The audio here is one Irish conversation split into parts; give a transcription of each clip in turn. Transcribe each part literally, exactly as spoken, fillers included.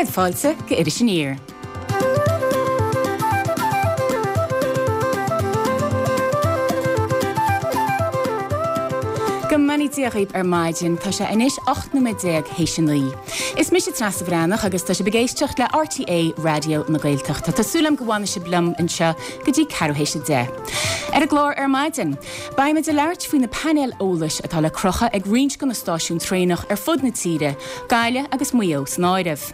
Céad fáilte go Iris Aniar. Go mbeannaí Dia dhaoibh ar maidin, tá sé anois ocht nóiméad déag théis a naoi. Is mise Treasa Bhreathnach agus tá sibh ag éisteacht le RTÉ Raidió na Gaeltachta. Tá súil agam go bhfanfaidh sibh liom anseo go dtí ceathrú théis a deich. Ar an gclár ar maidin, beimid ag labhairt faoi na painéil eolais atá le crochadh ag roinnt de na stáisiúin traenach ar fud na tíre, Gaillimh agus Maigh Eo san áireamh.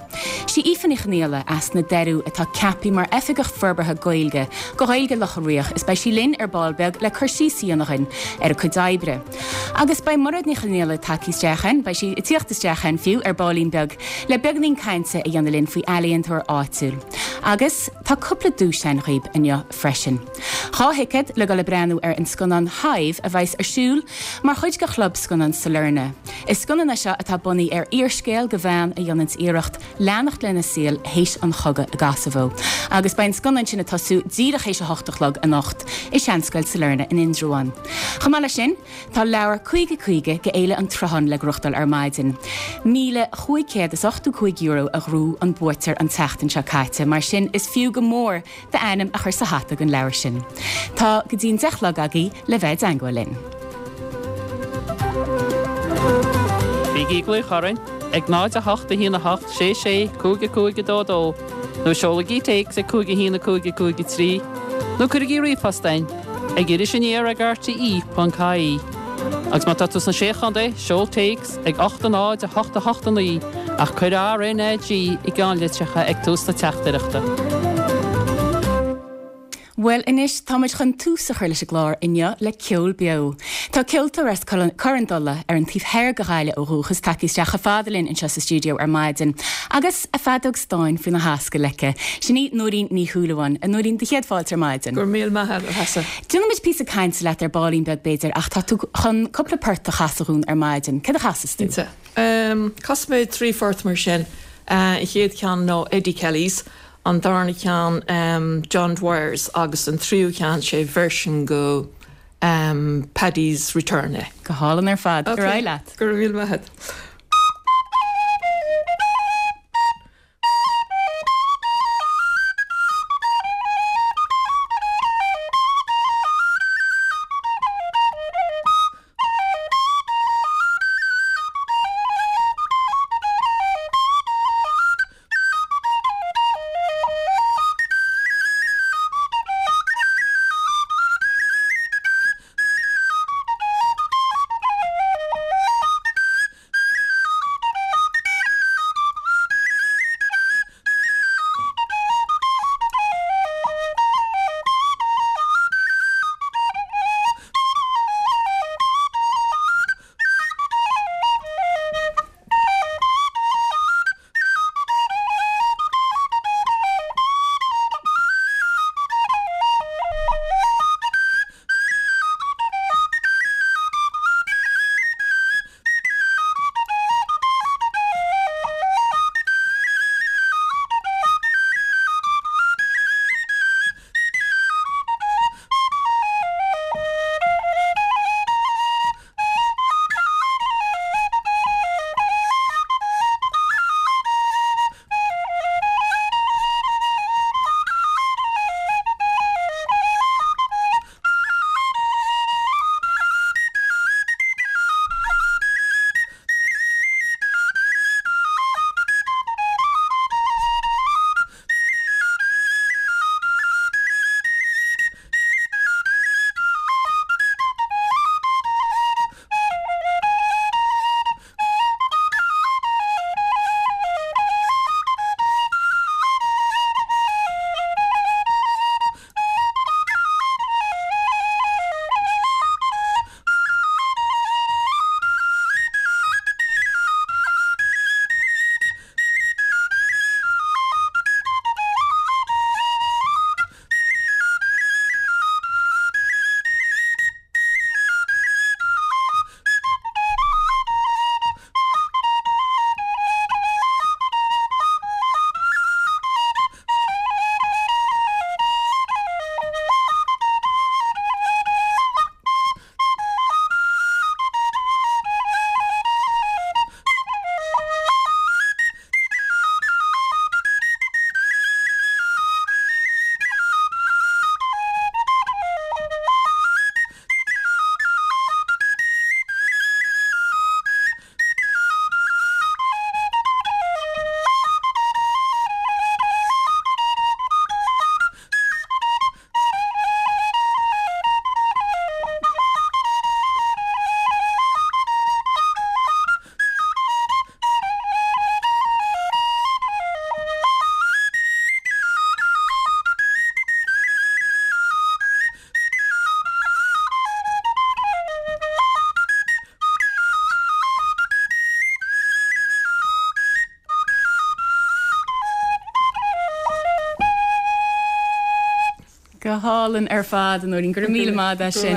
Sí Aoife Ní Chonghaile as na Doirí atá ceaptha mar Oifigeach Forbartha Gaeilge do Ghaeilge Locha Riach is beidh sí linn ar ball beag le cur síos a dhéanamh dhúinn ar a cuid oibre. Agus beidh Mairéad Ní Chonghaile tagtha isteach ann, beidh sí ag tíocht isteach ann fiú ar baillín beag le beagáinín cainte a dhéanamh linn faoi ealaíontóir áitiúil. Agus tá cúpla duais againn dhaoibh inniu freisin. Dhá thicéad le dul ag breathnú ar an scannán Hive a bheas ar siúl mar chuid de Chlub Scannán Sailearna. Is scannán é seo atá bunaithe ar fhíorscéal de bhean a dhéananns iarracht leanacht lena saol théis an chogaidh i gCosovo. Agus beidh an scannán sin ag tosú díreach théis a hocht a chlog anocht i Seanscoil Sailearna in Indreabhán. Chomh maith leis sin, tá leabhar caoga caoga go Fhéile an tSrutháin le gnóthachtáil ar maidin. Míle chúig chéad is ochtó cúig euro a ghnóthaigh an buaiteoir an tseachtain seo caite, mar sin is fiú go mór d'ainm a chur sa hata don leabhar sin. Tá go dtí an deich a chlog agaibh le bheith i dteangmháil linn. Bígí ag glaoch orainn ag náid a hocht a haon a hocht sé sé cúig a cúig a dó dó nó seolaigí téacs ag cúig a haon a cúig a cúig a trí nó cuirigí ríomhphost chugainn ag iris aniar ag rte ponc ie. Agus má tá tú sna Sé Chontae, seol téacs ag ocht a náid a hocht a hocht a naoi ach cuir R N A G i gceannlitreacha ag tús na teachtaireachta. Bhuel anois táimid chun tús a chur leis an gclár inniu le ceol beo. Tá ceoltóir as Corran Dola ar an taobh thoir de Ghaillimh ó dhúchas tagtha isteach chomh fada linn anseo sa stiúideo ar maidin agus a feadóg stáin faoina hascaill aici. Sin í Nóirín Ní Shúilleabháin. A Nóirín, do chéad fáilte ar maidin. Go raibh míle maith agat, a Threasa. Déanfaimid píosa cainte leat ar baillín beag b'fhéidir ach tá tú chun cúpla port a chasadh dhúinn ar maidin. Céard a chasas tú? Cinnte. Casfaidh mé trí phort mar sin. An chéad cheann ná Eddie Kelly's. An darna ceann John Dwyer's agus an tríú ceann sé version go Paddy's Return é. Go hálainn ar fad. Ar aghaidh leat. Go raibh míle maith agat. Go hálainn ar fad a Nóirín, go raibh míle maith as sin.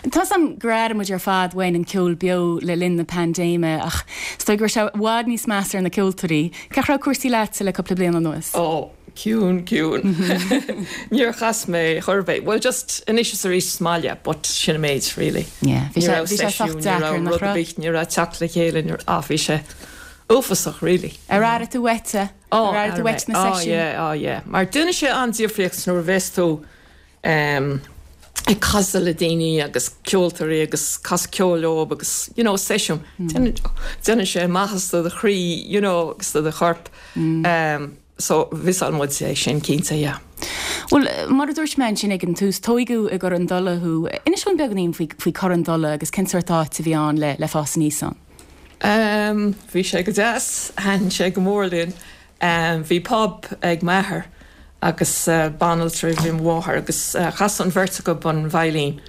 Tá 's a'm gur airigh muid ar fad uainn an ceol beo le linn na paindéime ach is dóigh go raibh sé i bhfad níos measa ar na ceoltóirí. Cén chaoi a raibh cúrsaí leatsa le cúpla bliain anuas? Ó, ciúin, ciúin. Níor chas mé chor ar bith. Bhuel just anois is arís sa mbaile but sin an méid really. Yeah, bhí Ní sé raibh bhí sé sách seisiún, ní deacair raibh nach rud ar raibh? bith, ní raibh teacht le chéile, ní raibh, ah bhí sé uafásach really. Ar airigh tú uait é? Ó, Ar airigh tú uait na oh, seisiúin? yeah, oh, yeah. Mar déanann sé an-difríocht nuair a bheas tú um, ag casadh le daoine agus ceoltóirí agus casadh ceoil leo agus you know, seisiún. Déanann déanann sé maitheas do do chroí, you know, agus do do chorp. Um, so mhissáil muid é sin cinnte, yeah. Bhuel, mar a dúirt mé ansin ag an tús, tógadh i gCor an Dola thú. Inis dúinn beagáinín faoi faoi Cor an Dola agus cén sórt áit a bhí ann le le fás aníos ann. Um, bhí sé go deas, thaitin sé go mór linn. Um, bhí pub ag m'athair agus uh, banaltra a bhí mháthair agus uh, chas an bheirt acu an veidhlín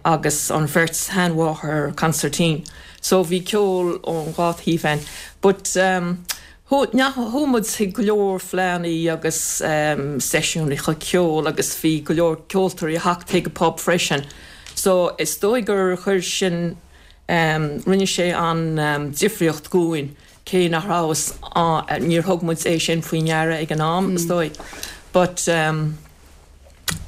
agus an bheirt sheanmháthair consairtín. So bhí ceol ón dhá thaobh ann. But um, chuaigh muid chuig go leor fleánna agus um, seisiúin chu ceol agus bhí go leor ceoltóirí ag teacht chuig an pub freisin. So is dóigh gur chuir sin um, rinne sé an um, difríocht dúinn cé nach rabhas níor thug muid é sin faoi ndeara ag an am is dóigh. But um,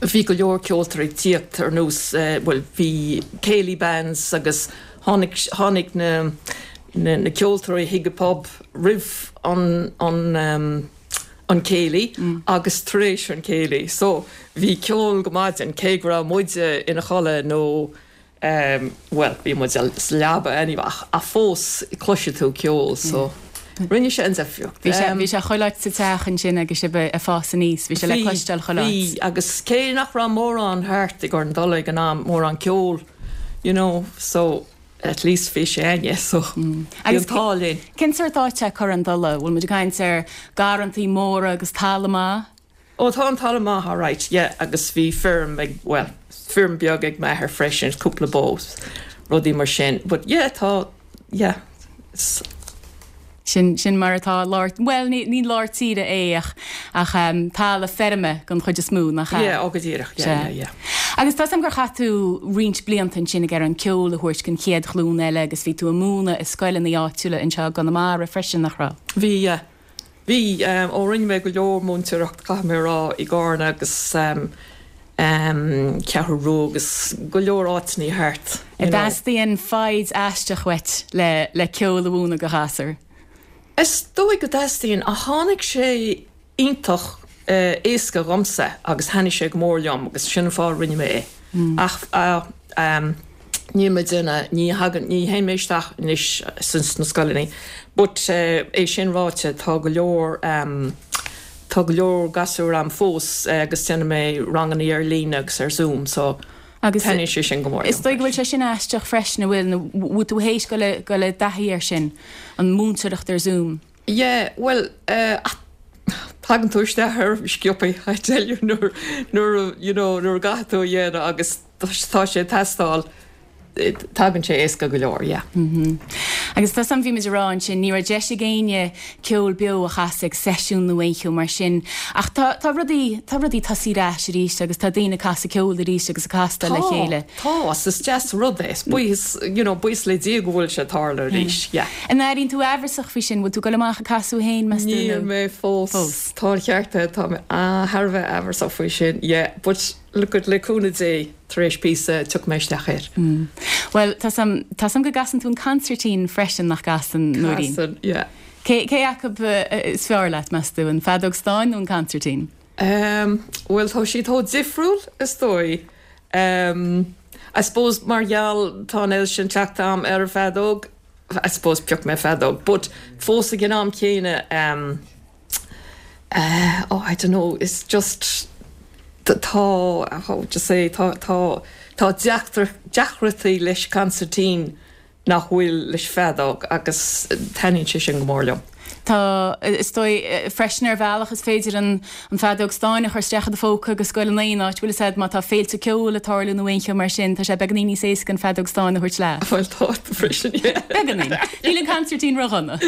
bhí go leor ceoltóirí ag tíocht ar nós uh, well, bhí céilí bands agus tháinig tháinig na na, na ceoltóirí chuig an pub roimh an an um, an céilí mm. agus tar éis an céilí. So bhí ceol go maidin cé go raibh muide ina chodladh nó um, well, bhí muid sa leaba anyway, ach fós chloisfeá tú ceol, so rinne sé an difríocht. Bhí sé bhí sé chuile áit sa teach ansin agus sibh ag fás aníos, bhí sé le cloisteáil chuile áit. Bhí agus cé nach raibh mórán thart i gCor an Dola ag an am mórán ceol, you know, so at least bhí sé ann, so mm. Agus an t-ádh linn. Cén sórt áit é Cor an Dola, bhfuil muid ag caint ar garrantaí móra agus talamh maith? Ó tá an talamh maith alright, yeah, agus bhí feirm ag well, feirm beag ag m'athair freisin, cúpla bó, rudaí mar sin, but yeah, tá yeah, it's, Sin sin mar atá lár well ní ní lár tíre é ach ach um, talamh feirme den chuid is mó nach ea. yeah, ó go díreach, yeah, yeah, yeah. Agus tá gur chaith tú roinnt blianta ansin ag an ceol a thabhairt don chéad ghlúin eile agus bhí tú ag múineadh i scoileanna áitiúla anseo i gConamara freisin nach raibh. Bhí yeah. Bhí um, ó rinne mé go leor múinteoireacht caithfidh mé a rá i gCarna agus um, um, Ceathrú Rua agus go leor áiteanna thart. you know. Teastaíonn foighid aisteach uait le le ceol a mhúineadh do ghasúir. Is dóigh go dteastaíonn a tháinig sé iontach uh, éasca dhomsa agus thaitnigh sé go mór liom agus sin fáth rinne mé é. Ach uh, um, ní mé duine ní hagan ní théim isteach anois sna scoileanna. But uh, é sin ráite tá go leor um, tá go leor gasúr a'm fós uh, agus déanann mé ranganna ar líne agus ar Zoom, so Agus taitníonn sé sin go mór. Is dóigh go bhfuil sé sin aisteach freisin a bhfuil bhfuil tú théis go le go le taithí ar sin an múinteoireacht ar Zoom. Yeah, well, uh, tagann tú isteach ar sciobtha I tell you nuair nuair you know nuair a gcaithfidh tú a dhéanamh agus tá sé ag teastáil tagann sé éasca go leor, yeah. Mm -hmm. Agus tá sam bhí muid ag rá ansin ní raibh deis ag éinne ceol beo a chasadh ag seisiún nó aon cheo mar sin ach tá tá rudaí tá rudaí ag tosú ar ais arís agus tá daoine ag casadh ceol arís agus ag castáil le chéile. Tá is deas rud é buíochas you know, buíochas le Dia go bhfuil sé ag tarlú arís, yeah. An airíonn tú amhrasach faoi sin bhfuil tú ag dul amach ag casadh féin meas tú Níl nó? mé fós Fós. Tá ceart tá mé thar a bheith amhrasach faoi sin, yeah, but look at le cúnamh Dé tar éis píosa tiocfaidh mé isteach air. Mm. Well tá sam tá sam go gcasann tú an consairtín freisin nach gcasann Nóirín. Casann, yeah. Cé cé acu uh, is fearr leat meas tú an feadóg stáin nó an consairtín? Um, well tá siad chomh difriúil is dóigh. Um, I suppose mar gheall tá an sin teacht am ar an feadóg, I suppose pioc mé feadóg, but fós ag an am céanna um, uh, oh, I don't know, it's just tá how to say tá tá tá deacrachtaí leis consairtín nach bhfuil leis feadóg agus taitníonn sé sin go mór liom. Tá is dóigh freisin ar bhealach is féidir an an feadóg stáin a chur isteach i do phóca agus goil in aon áit, bhfuil a fhios agat má tá féilte ceoil ag tarlú nó aon cheo mar sin, tá sé beagáinín níos éasca an feadóg stáin a thabhairt leat. Bhuel tá freisin yeah. Beagáinín. Níl an consairtín ródhona.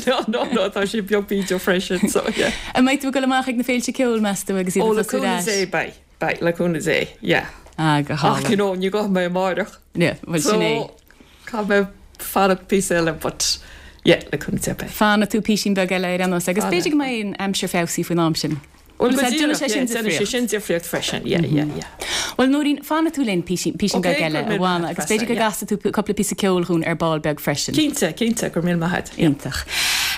No, no, no, tá sé beag bídeach freisin so yeah. An mbeidh tú ag dul amach ag na féilte ceoil meas tú agus Ó iad le ag tosú ar cúnamh ais? Dé beidh. Beidh, le cúnamh Dé, yeah. Ah, go Ach, hálainn. you know, ní gabhfaidh mé amárach. Yeah, bhuel sin é. So, caithfidh mé fanacht píosa eile, but yeah, le cúnamh Dé beidh. Fanfaidh tú písín beag eile ar aon nós agus Fanfaidh. b'fhéidir go mbeidh an aimsir feabhsaithe faoin am sin. Bhuel, Bhuel, go déanfaidh díreach, sé sin yeah, déanfaidh sé difríocht. sin difríocht freisin, yeah, yeah, yeah. Bhuel Nóirín, fanfaidh tú linn písín písín Ok, beag eile go raibh a míle Mhána maith agus b'fhéidir go yeah. gcasfaidh tú cúpla píosa ceoil dhúinn ar ball beag freisin. Cinnte, cinnte, go raibh míle maith agat. Yeah. Iontach.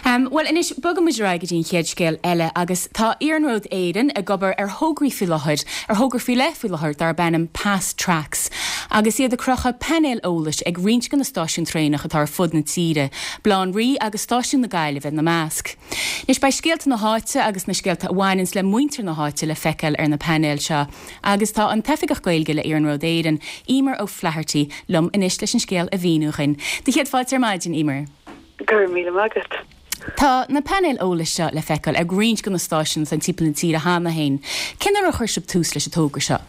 Um, well anois bogfaidh muid ar aghaidh go dtí an chéad scéal eile agus tá Iarnród Éireann ag obair ar thograí faoi láthair, ar thogra faoi leith faoi láthair darb ainm Past Tracks, agus iad ag crochadh painéil eolais ag roinnt de na stáisiúin traenach atá ar fud na tíre, Baile Átha an Rí agus stáisiún na Gaillimhe ina measc. Anois beidh scéalta na háite agus na scéalta a bhaineanns le muintir na háite le feiceáil ar na painéil seo, agus tá an tOifigeach Gaeilge le Iarnród Éireann, Emer O'Flaherty, liom anois leis an scéal a mhíniú dhúinn. Do chéad fáilte ar maidin Emer. Gur míle agat. Tá na painéil eolais seo le feiceáil ag roinnt de na stáisiúin san timpeall na tíre cheana féin. Cén uair a chuir sibh tús leis an togra seo?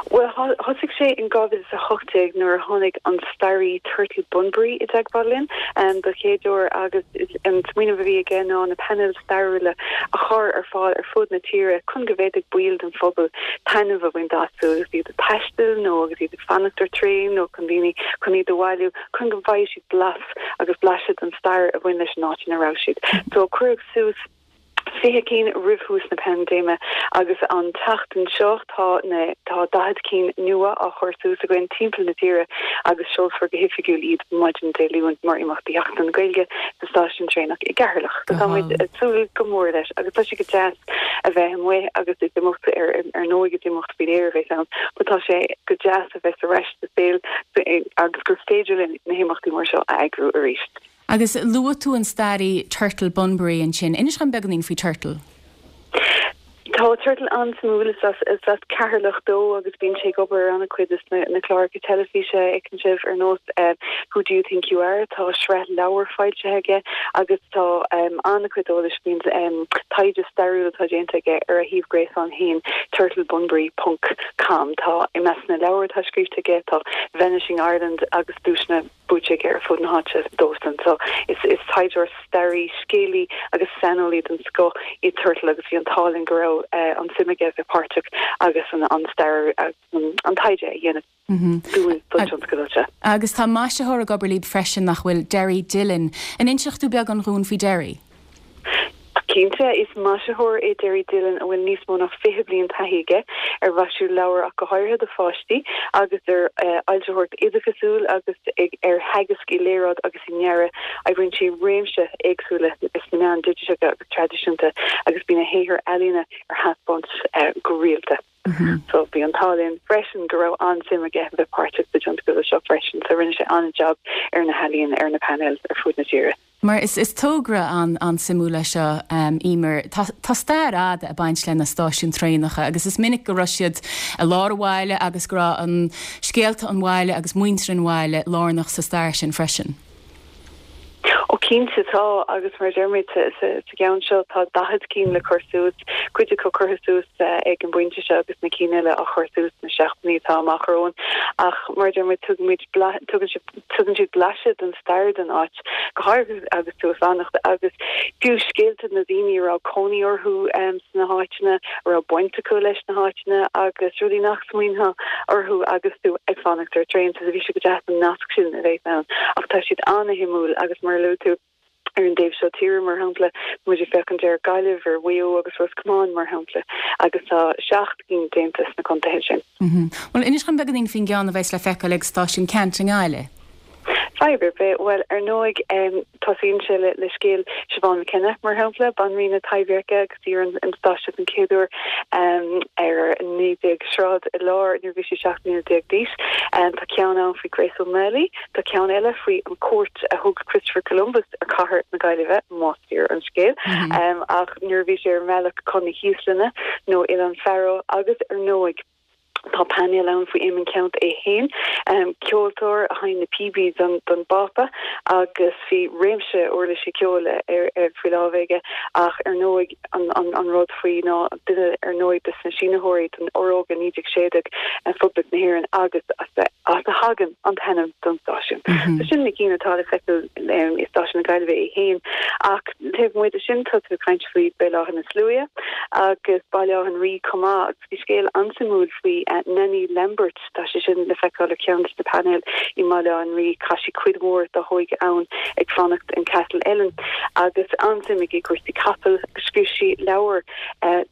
Well thosaigh sé in dhá mhíle a hocht déag nuair a tháinig an staraí Turtle Bunbury i dteagmháil linn um, don chéad uair agus an smaoineamh a bhí aige ná na painéil stairiúla a chur ar fáil ar fud na tíre chun go bhféadfadh baill den phobal taitneamh a bhaint astu agus iad ag taisteal nó agus iad ag fanacht ar traein nó chun daoine chun iad a bhailiú chun go bhfaighidh siad blas agus blaiseadh den stair a bhain leis an áit ina raibh siad. So cuireadh suas fiche cinn roimh thús na paindéime agus an tseachtain seo tá na tá daichead cinn nua á chur suas againn timpeall na tíre agus seolfar go hoifigiúil iad maidin Dé Luain mar imeacht Sheachtain na Gaeilge sa stáisiún traenach i gCeatharlach. So tá muid ag súil go mór leis agus tá sé go deas a bheith amuigh agus is imeacht ar ar ndóigh is imeacht faoin aer a bheas ann, but tá sé go deas a bheith ar ais sa saol agus gur féidir linn na himeachtaí mar seo a eagrú arís. Agus luaigh tú an staraí Turtle Bunbury ansin, inis dom beagáinín faoi Turtle. Tá Turtle an-suimiúil is as is as Ceatharlach dó agus bíonn sé ag obair ar an-chuid de na, na cláracha teilifíse a fheiceann sibh ar nós uh, Who Do You Think You Are tá sraith leabhar foilsithe aige agus tá um, an-chuid eolais faoin um, taighde stairiúil atá déanta aige ar a shuíomh gréasáin féin turtlebunbury.com tá i measc na leabhar atá scríte aige tá Vanishing Ireland agus duaiseanna buaite aige ar fud na háite dósan so is is taighdeoir staraí scéalaí agus saineolaí den scoth é Turtle agus bhí an t-ádh linn go raibh uh, an suim aige bheith páirteach agus an an stair uh, an, an taighde a dhéanamh dúinn don tionscadal seo. Agus tá maisitheoir ag obair libh freisin nach bhfuil Derry Dillon. An inseoidh tú beagán dhúinn faoi Derry? Cinnte is maisitheoir é Derry Dillon a bhfuil níos mó ná fiche bliain taithí aige ar mhaisiú leabhar ach go háirithe do pháistí agus ar uh, fhoilsitheoireacht oideachasúil agus ag, ar theagasc i léaráid agus i ndearadh oibríonn sé réimse éagsúla is na meáin dhigiteacha agus traidisiúnta agus bíonn a shaothar ealaíne ar taispeáint uh, go rialta. Mm -hmm. So bhí an t-ádh linn freisin go raibh an-suim aige bheith páirteach sa tionscadal seo freisin, so rinne sé an-jab ar na healaíona ar na painéil ar fud na tíre. Mar is, is togra an an-suimiúil é seo um, Emer tá, tá stair fhada ag baint le na stáisiúin traenacha agus is minic go raibh siad i lár an bhaile agus go raibh an scéalta an bhaile agus muintir an bhaile lárnach sa stair sin freisin. Ó cinnte tá agus mar deirmid sa gceann seo tá daichead cinn le cur suas, cuid acu curtha suas ag an bpointe seo agus na cinn eile á chur suas na seachtainí atá amach romhainn ach mar deirmid tugaimid tugann siad blaiseadh den stair den áit go háirithe agus tú ag fanacht agus fiú scéalta na daoine a raibh cónaí orthu um, sna háiteanna a raibh baint acu leis na háiteanna agus rudaí nach smaoineofá orthu agus tú ag fanacht ar traein so bhí sé go deas an nasc sin a bheith ann ach tá siad an-shuimiúil agus mar luaigh tú ar an dtaobh seo tíre mar shampla muid ag féachaint ar Gaillimh ar Mhaigh Eo agus Ros Comáin mar shampla agus tá seacht gcinn déanta sna contaetha sin. Mm -hmm. Well inis dom beagáinín faoin gceann a bheas le feiceáil ag stáisiún Ceannt i nGaillimh. Fadhb ar bith well ar ndóigh um, tosaíonn sé le, le scéal Siobhan McKenna mar shampla banríon na Taibhdheirce agus í ar an, an stáisiún an chéad uair um, ar naoi déag Sráid i lár nuair bhí sí seacht mbliana déag d'aois. Um, tá ceann ann faoi Grace O'Malley, tá ceann eile faoi an cuairt a thug Christopher Columbus ar chathair na Gaillimhe más fíor an scéal. Mm -hmm. um, ach nuair bhí sé ar mbealach chun na hÍoslainne nó Oileán Faroe agus ar ndóigh. Tá painéal ann faoi Éamonn Ceannt é féin, ceoltóir a sheinn na píobaí don don bPápa agus bhí réimse uirlisí ceoil ar ar faoi láimh aige ach ar ndóigh an an an rud faoi ná duine ar ndóigh de na sínitheoirí den Fhorógra naoi déag sé déag Phoblacht na hÉireann agus as as a thagann an t-ainm don stáisiún. So sin na cinn atá le feiceáil i Stáisiún na Gaillimhe é féin ach taobh amuigh de sin tá tú ag caint faoi Béal Átha na Sluaighe agus Baile Átha an Rí chomh maith agus bhí scéal an-suimiúil faoi Nanny Lambert tá sé sin le feiceáil ar cheann de na painéil i mBaile Átha an Rí chaith sí cuid mhór dá hóige ann ag fanacht in Castle Ellen agus an-suim aici i gcúrsaí capall agus scríobh sí leabhar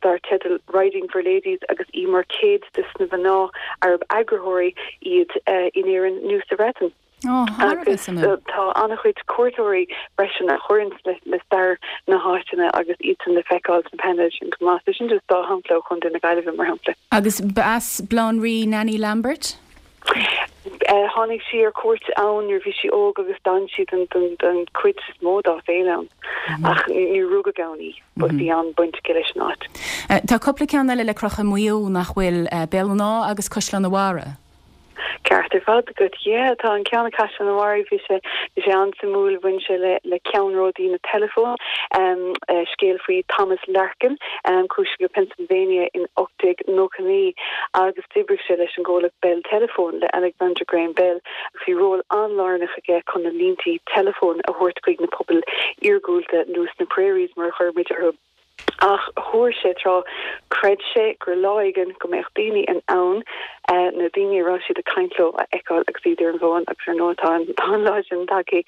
dar teideal Riding for Ladies agus í mar céad de na mná arb eagarthóirí iad in Éirinn nó sa Bhreatain. Agus tá an-chuid cuairteoirí freisin a chuireann le le stair na háiteanna agus iad sin le feiceáil sna painéil sin chomh maith. So sin just dá shampla ó Chontae na Gaillimhe mar shampla. Agus b'as Baile Átha an Rí Nanny Lambert? Tháinig sí ar cuairt ann nuair bhí sí óg agus d'fhan sí den den den chuid is mó dá saol ann ach níor rugadh ann í but bhí an-bhaint aici leis an áit. Tá cúpla ceann eile le crochadh i Maigh Eo nach bhfuil, Béal an Átha agus Caisleán an Bharraigh. Ceart ar fad agat, yeah, tá an ceann i Caisleán an Bharraigh, bhí sé bhí sé an-suimiúil, bhain sé le le ceannródaí na teileafón, scéal faoi Thomas Larkin, chuaigh sé go Pennsylvania in ocht déag nócha naoi agus d'oibrigh sé leis an gcomhlacht Bell Telephone le Alexander Graham Bell agus bhí ról an-lárnach aige chun na línti teileafóin a thabhairt chuig na pobail iargúlta nó sna prairies mar a chuir muid orthu. Ach thuar sé tráth, chreid sé gur lá éigin go mbeadh daoine in ann na daoine a raibh siad ag caint leo a fheiceáil agus iad ar an bhfón agus ar ndóigh tá an tá an lá sin tagtha.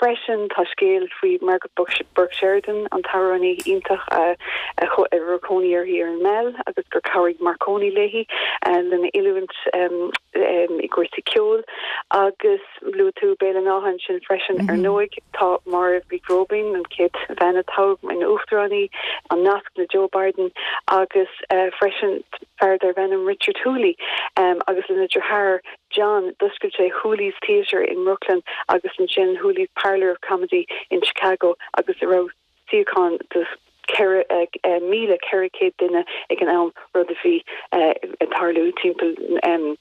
Freisin tá scéal faoi Margaret Burke Sheridan, an t-amhránaí iontach a a raibh cónaí uirthi ar an Meal agus gur chabhraigh Marconi léi lena oiliúint i gcúrsaí ceoil agus luaigh tú Béal an Átha ansin freisin ar ndóigh tá Máire Mhic Róibín, an chéad bhean a toghadh ina uachtarán, an nasc le Joe Biden agus freisin fear darb ainm Richard Hooly agus lena dheartháir John d'oscail sé Hooley's Theatre in Brooklyn agus ansin Hooley's Parlor of Comedy in Chicago agus a raibh suíocháin do ceithre míle ceithre chéad duine ag an am, rud a bhí ag tarlú timpeall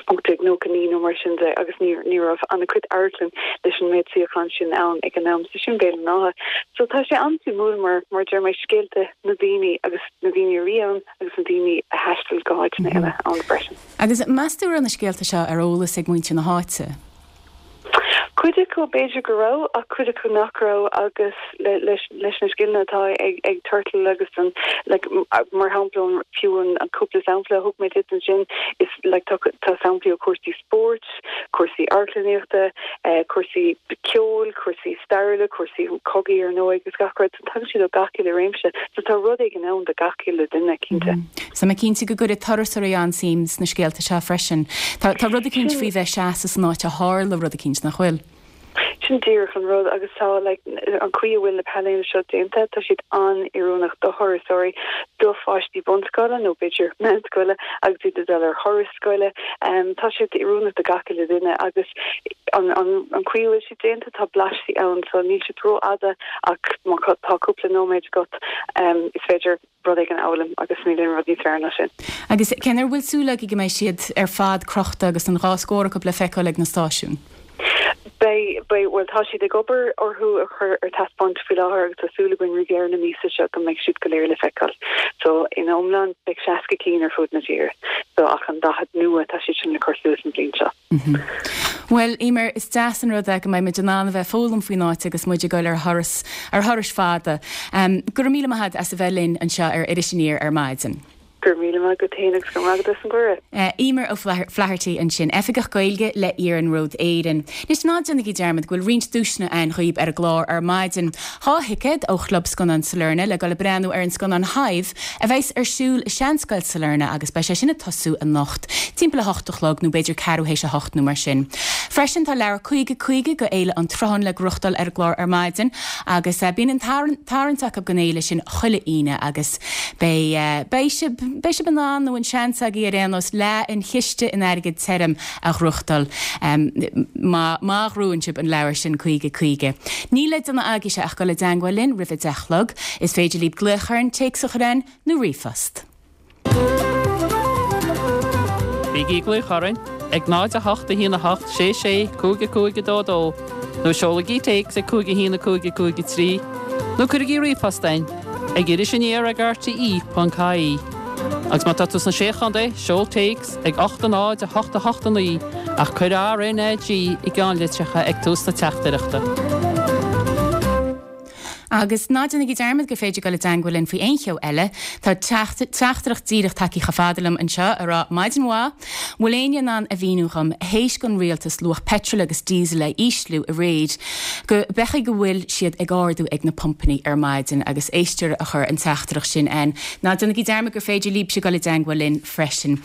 ocht déag nócha naoi nó mar sin de agus ní ní raibh an-chuid amharclann leis an méid suíochán sin ann ag an am, so sin Béal an Átha. So tá sé an-suimiúil mar mar deir mé scéalta na daoine agus na daoine a bhí ann agus na daoine a thaistil go háiteanna eile ann freisin. Agus meas tú raibh na scéalta seo ar eolas ag muintir na háite? Cuid acu b'fhéidir go raibh ach cuid acu nach raibh agus leis leis na scileanna atá ag ag Turtle agus an like mar shampla an fiú an an cúpla sampla a thug mé duit ansin is like tá tá samplaí ó cúrsaí spóirt, cúrsaí amharclannaíochta, cúrsaí ceoil, cúrsaí stairiúla, cúrsaí cogaidh ar ndóigh agus gach rud. So tagann siad ó gach uile réimse. So tá rud éigin ann do gach uile duine cinnte. So tá mé cinnte go gcuirfidh turasóirí an-suim sna scéalta seo freisin. Tá tá rud eicínt faoi bheith ag seasamh san áit a tharla rud eicínt, nach bhfuil? Sin díreach an rud agus tá like an chaoi a bhfuil na painéil seo déanta, tá siad an-oiriúnach do thurasóirí, do pháistí bunscoile nó b'fhéidir meánscoile agus iad ag dul ar thuras scoile. Tá siad oiriúnach do gach uile duine agus an an an chaoi a bhfuil siad déanta tá blaistí ann so níl siad rófhada ach má tá cúpla nóiméad agat is féidir rud éigin a fhoghlaim agus níl aon rud níos fearr ná sin. Agus cén uair a bhfuil súil agaibh go mbeidh siad ar fad crochta agus an dhá scór acu le feiceáil ag na stáisiúin? Beidh, beidh, bhuel tá siad ag obair orthu a chur ar taispeáint faoi láthair agus tá súil againn roimh dheireadh na míosa seo go mbeidh siad go léir le feiceáil. So in iomlán beidh seasca cinn ar fud na tíre. So ach an daichead nua tá siad sin le cur suas an bhliain seo. Bhuel, Emer, is deas an rud é go mbeidh muid in ann a bheith ag foghlaim faoin áit agus muid ag dul ar thuras, ar thurais fada. Go raibh míle maith agat as a bheith linn anseo ar Iris Aniar ar maidin. Go raibh míle maith agat féin agus go raibh maith agat as an gcuireadh. Emer O'Flaherty ansin, Oifigeach Gaeilge le Iarnród Éireann. Anois ná déanaigí dearmad go bhfuil roinnt duaiseanna ann dhaoibh ar an gclár ar maidin. Dhá thicéad ó Chlub Scannán Sailearna le dul ag breathnú ar an scannán Hive a bheas ar siúl i Seanscoil Sailearna agus beidh sé sin ag tosú anocht timpeall a hocht a chlog nó b'fhéidir ceathrú théis a hocht nó mar sin. Freisin tá leabhar caoga caoga go Fhéile an tSrutháin le gnóthachtáil ar an gclár ar maidin agus bíonn an tarraingt acu don fhéile sin chuile Aoine agus beidh beidh sibh Beidh sibh in ann, nó an seans agaibh ar aon nós, leath an chiste in airgead tirim a ghnóthachtáil má má ghnóthaíonn sibh an leabhar sin caoga caoga. Níl le déanamh agaibhse ach dul i dteangmháil linn roimh a deich a chlog. Is féidir libh glaoch orainn, téacs a chur chugainn nó ríomhphost. Bígí ag glaoch orainn ag náid a hocht a haon a hocht sé sé cúig a cúig a dó dó nó seolaigí téacs ag cúig a haon a cúig a cúig a trí nó cuirigí ríomhphost chugainn ag iris aniar ag R T E ponc I E. Agus má tá tú sna Sé Chontae, seol téacs ag ocht a náid a hocht a hocht a naoi ach cuir R N A G i gceannlitreacha ag tús na teachtaireachta. Agus ná déanaigí dearmad gur féidir dul i dteagmháil linn faoi aon cheo eile. Tá teachtaireacht díreach tagtha chomh fada liom anseo ag rá maidin mhaith, bhfuil éinne in ann a mhíniú dhom théis don rialtas luach petrol agus diesel a ísliú aréir go b'fhéidir go bhfuil siad ag ardú ag na pumpanna ar maidin agus éisteoir a chuir an teachtaireacht sin ann. Ná déanaigí dearmad gur féidir libhse dul i dteagmháil linn freisin.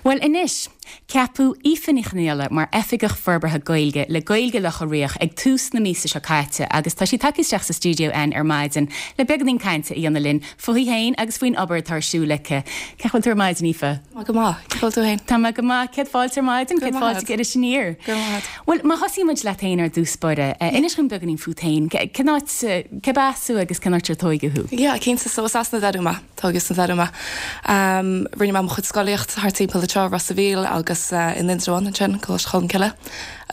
Well anois, Ceapadh Aoife Ní Chonghaile mar Oifigeach Forbartha Gaeilge le Gaeilge Locha Riach ag tús na míosa seo caite agus tá sí tagtha isteach sa stiúideo againn ar maidin le beagáinín cainte a dhéanamh linn fúithi féin agus faoin obair atá ar siúl aici. Cén chaoi a bhfuil tú ar maidin, Aoife? Go maith, bhfuil tú féin? Tá mé go maith céad fáilte ar maidin, céad fáilte go Iris Aniar. Well má thosaímid leat féin ar dtús báire, inis dom beagáinín fút féin, cén áit cé as thú agus cén áit ar tógadh thú? Ja, cinnte so as na Dúma tógadh sna Dúma. Um, Rinne mé mo chuid scolaíocht thart timpeall anseo Ros an Mhíl agus uh, in Indreabhán ansin Coláiste Cholmcille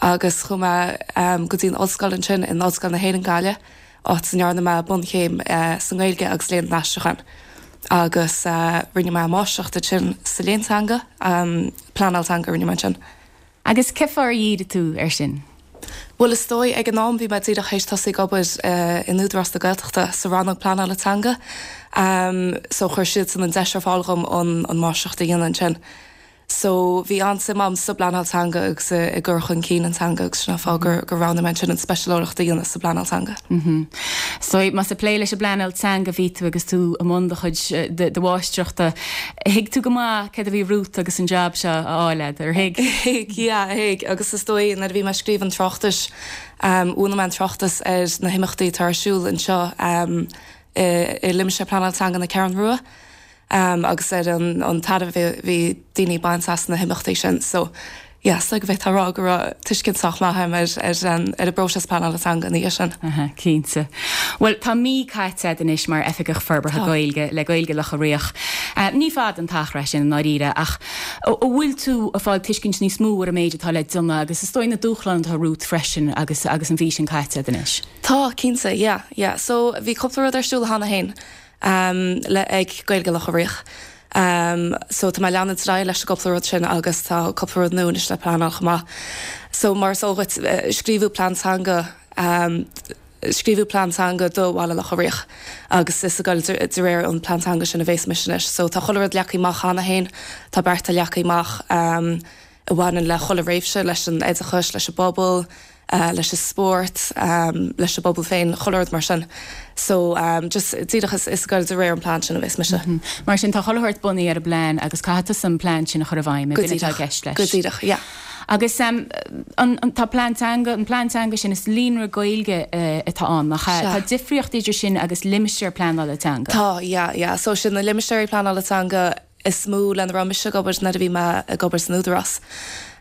agus chuaigh mé um, go dtí an ollscoil ansin in Ollscoil na hÉireann Gaillimh áit a ndearna mé bunchéim uh, sa Ghaeilge agus léann an aistriúcháin. Agus uh, rinne mé máistreacht ansin sa léann teanga um, pleanáil teanga rinne mé sin. Agus cén fáth ar dhírigh tú ar sin? Well is dóigh ag an am bhí mé díreach théis tosú ag obair uh, in Údarás na Gaeltachta sa rannóg pleanála teanga. Um, so chuir siad san an deis ar fáil dhom an, an máistreacht a dhéanamh ansin. So bhí an-suim agam sa bpleanáil teanga agus i gcur chun cinn an teanga agus sin an fáth gur gur roghnaigh mé sin an speisialtóireacht a dhéanamh sa bpleanáil teanga. Mm -hmm. So más ag plé leis an bpleanáil teanga bhí tú agus tú i mbun do chuid de mháistreachta. Thuig tú go maith céard a bhí romhat agus an job seo á fháil ar thuig? Ja, thuig agus is dóigh nuair a bhí mé ag scríobh an tráchtais um, bhunaigh mé an tráchtas ar na himeachtaí atá ar siúl anseo um, i, i limistéar pleanála teanga na Ceathrún Rua. Um, agus ar an, an tairbhe bhí daoine baint as na himeachtaí sin so yeah, so go bheith rá go raibh tuiscint sách maith ar ar an ar an bpróiseas pleanála teanga ní sin. Cinnte. Well tá mí caite anois mar Oifigeach Forbartha Gaeilge le Gaeilge Locha Riach. Uh, ní fada an t-achar sin i ndáiríre ach an bhfuil tú ag fáil tuiscint níos mó ar an méid atá le déanamh agus is dóigh na dúshláin atá romhat freisin agus agus an mhí sin caite anois. Tá cinnte, yeah, yeah. So bhí cúpla rud ar siúl cheana féin um, le ag Gaeilge Locha Riach. Um, so tá mé leanúint leis an gcúpla rud sin agus tá cúpla rud nua le pleanáil chomh maith. So mar so uh, scríobhadh plean teanga um, scríobhadh plean teanga do Bhaile Locha Riach agus is ag dul de réir an plean teanga sin a bheas mise anois. So tá chuile rud leagtha amach cheana féin tá bearta leagtha amach um, a bhaineann le chuile réimse leis an oideachas leis an bpobal, uh, leis an spórt, um, leis an bpobal féin chuile rud mar sin. So um, just díreach is is ag dul de réir an plean sin a bheas mise. Mm -hmm. Mar sin tá chuile shórt bunaithe ar an bplean agus caithfidh an plean sin a chur i bhfeidhm gceist leis. Go díreach, yeah. Agus um, an, an, tá plean teanga an plean teanga sin is líonra Gaeilge uh, atá ann nach tá difríocht idir sin agus limistéar pleanála teanga. Tá yeah, yeah. so sin na limistéirí pleanála teanga is mó lena raibh mise ag obair nuair a bhí mé ag obair san Údarás.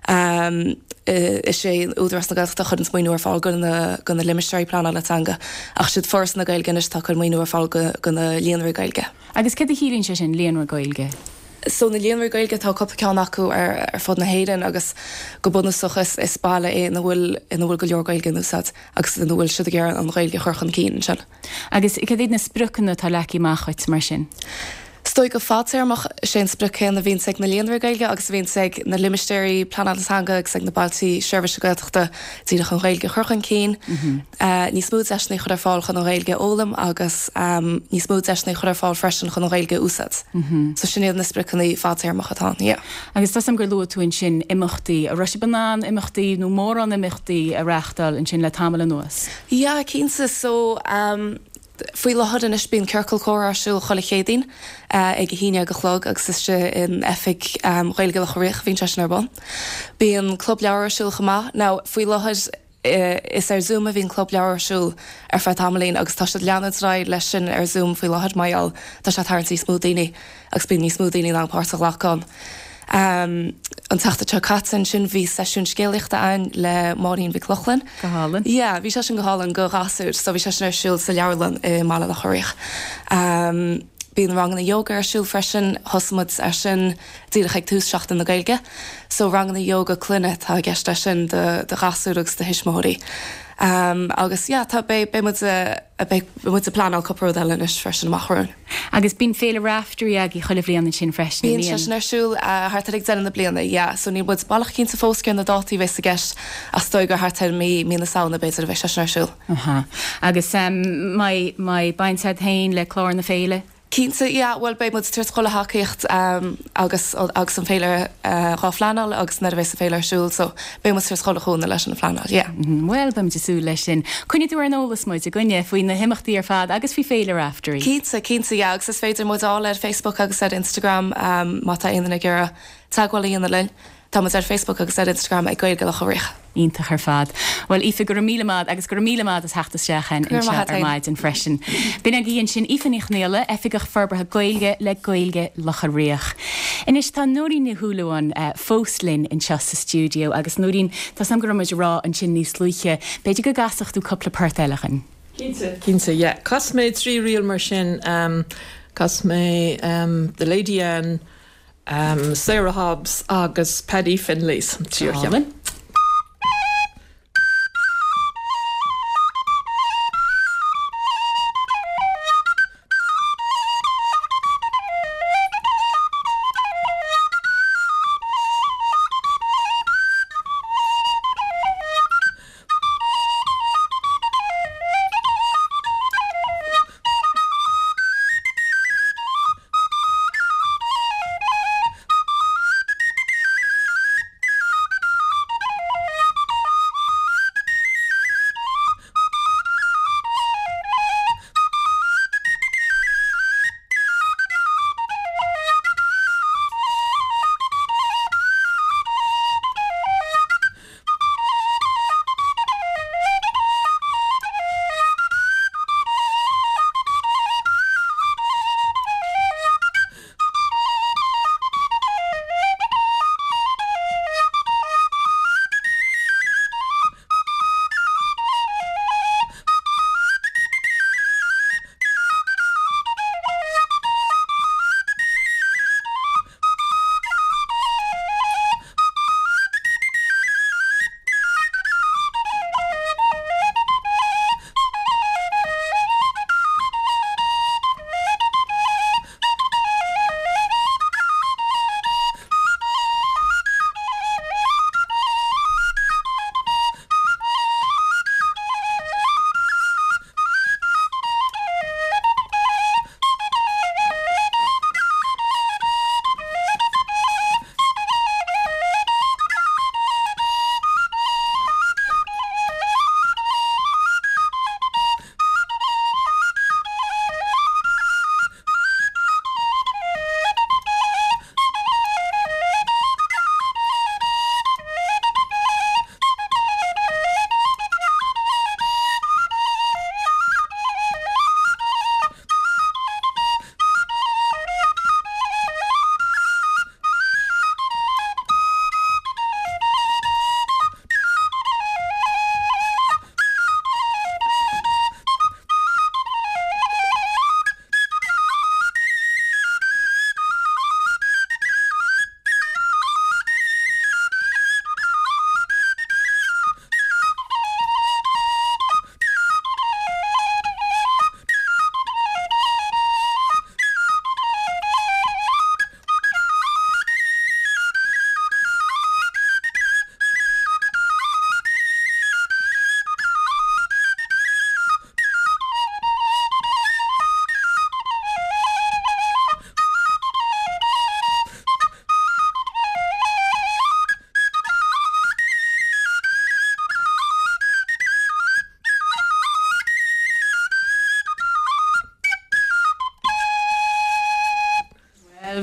Um, is é Údarás na Gaeltachta a chuireann maoiniú ar fáil go na go na limistéirí pleanála teanga ach siad Foras na Gaeilge anois atá ag cur maoiniú ar fáil go go na líonraí Gaeilge. Agus cad a chiallaíonn sé sin líonra Gaeilge? So na líonraí Gaeilge tá cúpla ceann acu ar ar fud na hÉireann agus go bunúsach is is baile é ina bhfuil ina bhfuil go leor Gaeilge in úsáid agus ina bhfuil siad ag iarraidh an Ghaeilge a chur chun cinn sin. Agus cad iad na spriocanna atá leagtha amach agat mar sin? Is dóigh go fadtéarmach sé an sprioc céanna a bhíonn ag na líonraí Gaeilge agus a bhíonn ag na limistéirí pleanála teanga agus ag na bailte seirbhíse Gaeltachta díreach an Ghaeilge a chur chun cinn. Uh, níos mó deiseanna a chur ar fáil chun an Ghaeilge a fhoghlaim agus um, níos mó deiseanna a chur ar fáil freisin chun an Ghaeilge a úsáid. So sin iad na spriocanna fadtéarmacha atá, yeah. Agus tá gur luaigh tú ansin imeachtaí a raibh sibh in ann imeachtaí nó mórán imeachtaí a reáchtáil ansin le tamall anuas. Ja, cinnte so um, faoi láthair anois bíonn ciorcal comhrá ar siúl chuile Chéadaoin uh, ag a haon déag a chlog agus is sé in oifig um, Ghaeilge Locha Riach bhíonn sé sin ar bun. Bíonn club leabhar ar siúl chomh maith. Now faoi láthair uh, is ar Zoom a bhíonn club leabhar ar siúl ar feadh tamaillín agus tá siad leanúint leis sin ar Zoom faoi láthair mar gheall tá sé tarraingt níos mó daoine agus bíonn níos mó daoine in páirt a ghlacadh. Um, an tseachtain seo caite ansin bhí seisiún scéalaíochta ann le Máirín Mhic Lochlainn. Go hálainn. Ja, bhí sé sin go hálainn go gasúir, so bhí sé sin ar siúl sa leabharlann i mBaile Locha Riach. Um, Bíonn ranganna yoga ar siúl freisin, thosaigh muid ar sin díreach ag tús Seachtain na Gaeilge. So ranganna yoga clainne atá i gceist leis sin do do ghasúir agus do thuismitheoirí. Um, agus yeah, tá beidh beidh muid a beidh muid ag pleanáil cúpla rud eile anois freisin amach romhainn. Agus bíonn Féile Raifteirí agaibh chuile bhliain ansin freisin. Bíonn sé sin ar siúl uh, thart ar ag deireadh na bliana, yeah. So níl muid baileach cinnte fós cé na dátaí a bheas i gceist ach is dóigh gur thart ar mí mí na Samhna b'fhéidir a bheidh sé sin ar siúl. Aha. Agus um, mbeidh mbeidh baint agat féin le clár na féile? Cinnte, yeah, well beidh muid ag tabhairt chuile thacaíocht um, agus agus an féile uh, dhá phleanáil agus nuair a bheas an féile ar siúl, so beidh muid ag tabhairt chuile chúnamh leis an phleanáil, yeah. Mm -hmm. Well beimid ag súil leis sin. Coinnigh tú ar an eolas muid i gcoinne faoi na himeachtaí ar fad agus faoi Féile Raifteirí. Cinnte, cinnte, yeah, agus is féidir muid a fháil ar Facebook agus ar Instagram um, má tá aon duine ag iarraidh teagmháil a dhéanamh linn. Tá muid ar Facebook agus ar Instagram ag Gaeilge Locha Riach. Iontach ar fad. Well Aoife go raibh míle maith agus go raibh míle maith as theacht isteach anseo ar maidin freisin. B'in agaibh ansin Aoife Ní Chonghaile, Oifigeach Forbartha Gaeilge le Gaeilge Locha Riach. Anois tá Nóirín Ní Shúilleabháin uh, fós linn anseo sa stiúideo agus Nóirín tá sam go raibh muid ag rá ansin níos luaithe, b'fhéidir go gcasfadh tú cúpla port eile dhúinn. Cinnte, cinnte, yeah. Casfaidh mé trí ríl mar sin um, casfaidh mé um, The Lady Anne, um, Sarah Hobbs agus Paddy Finley's tríú cheann.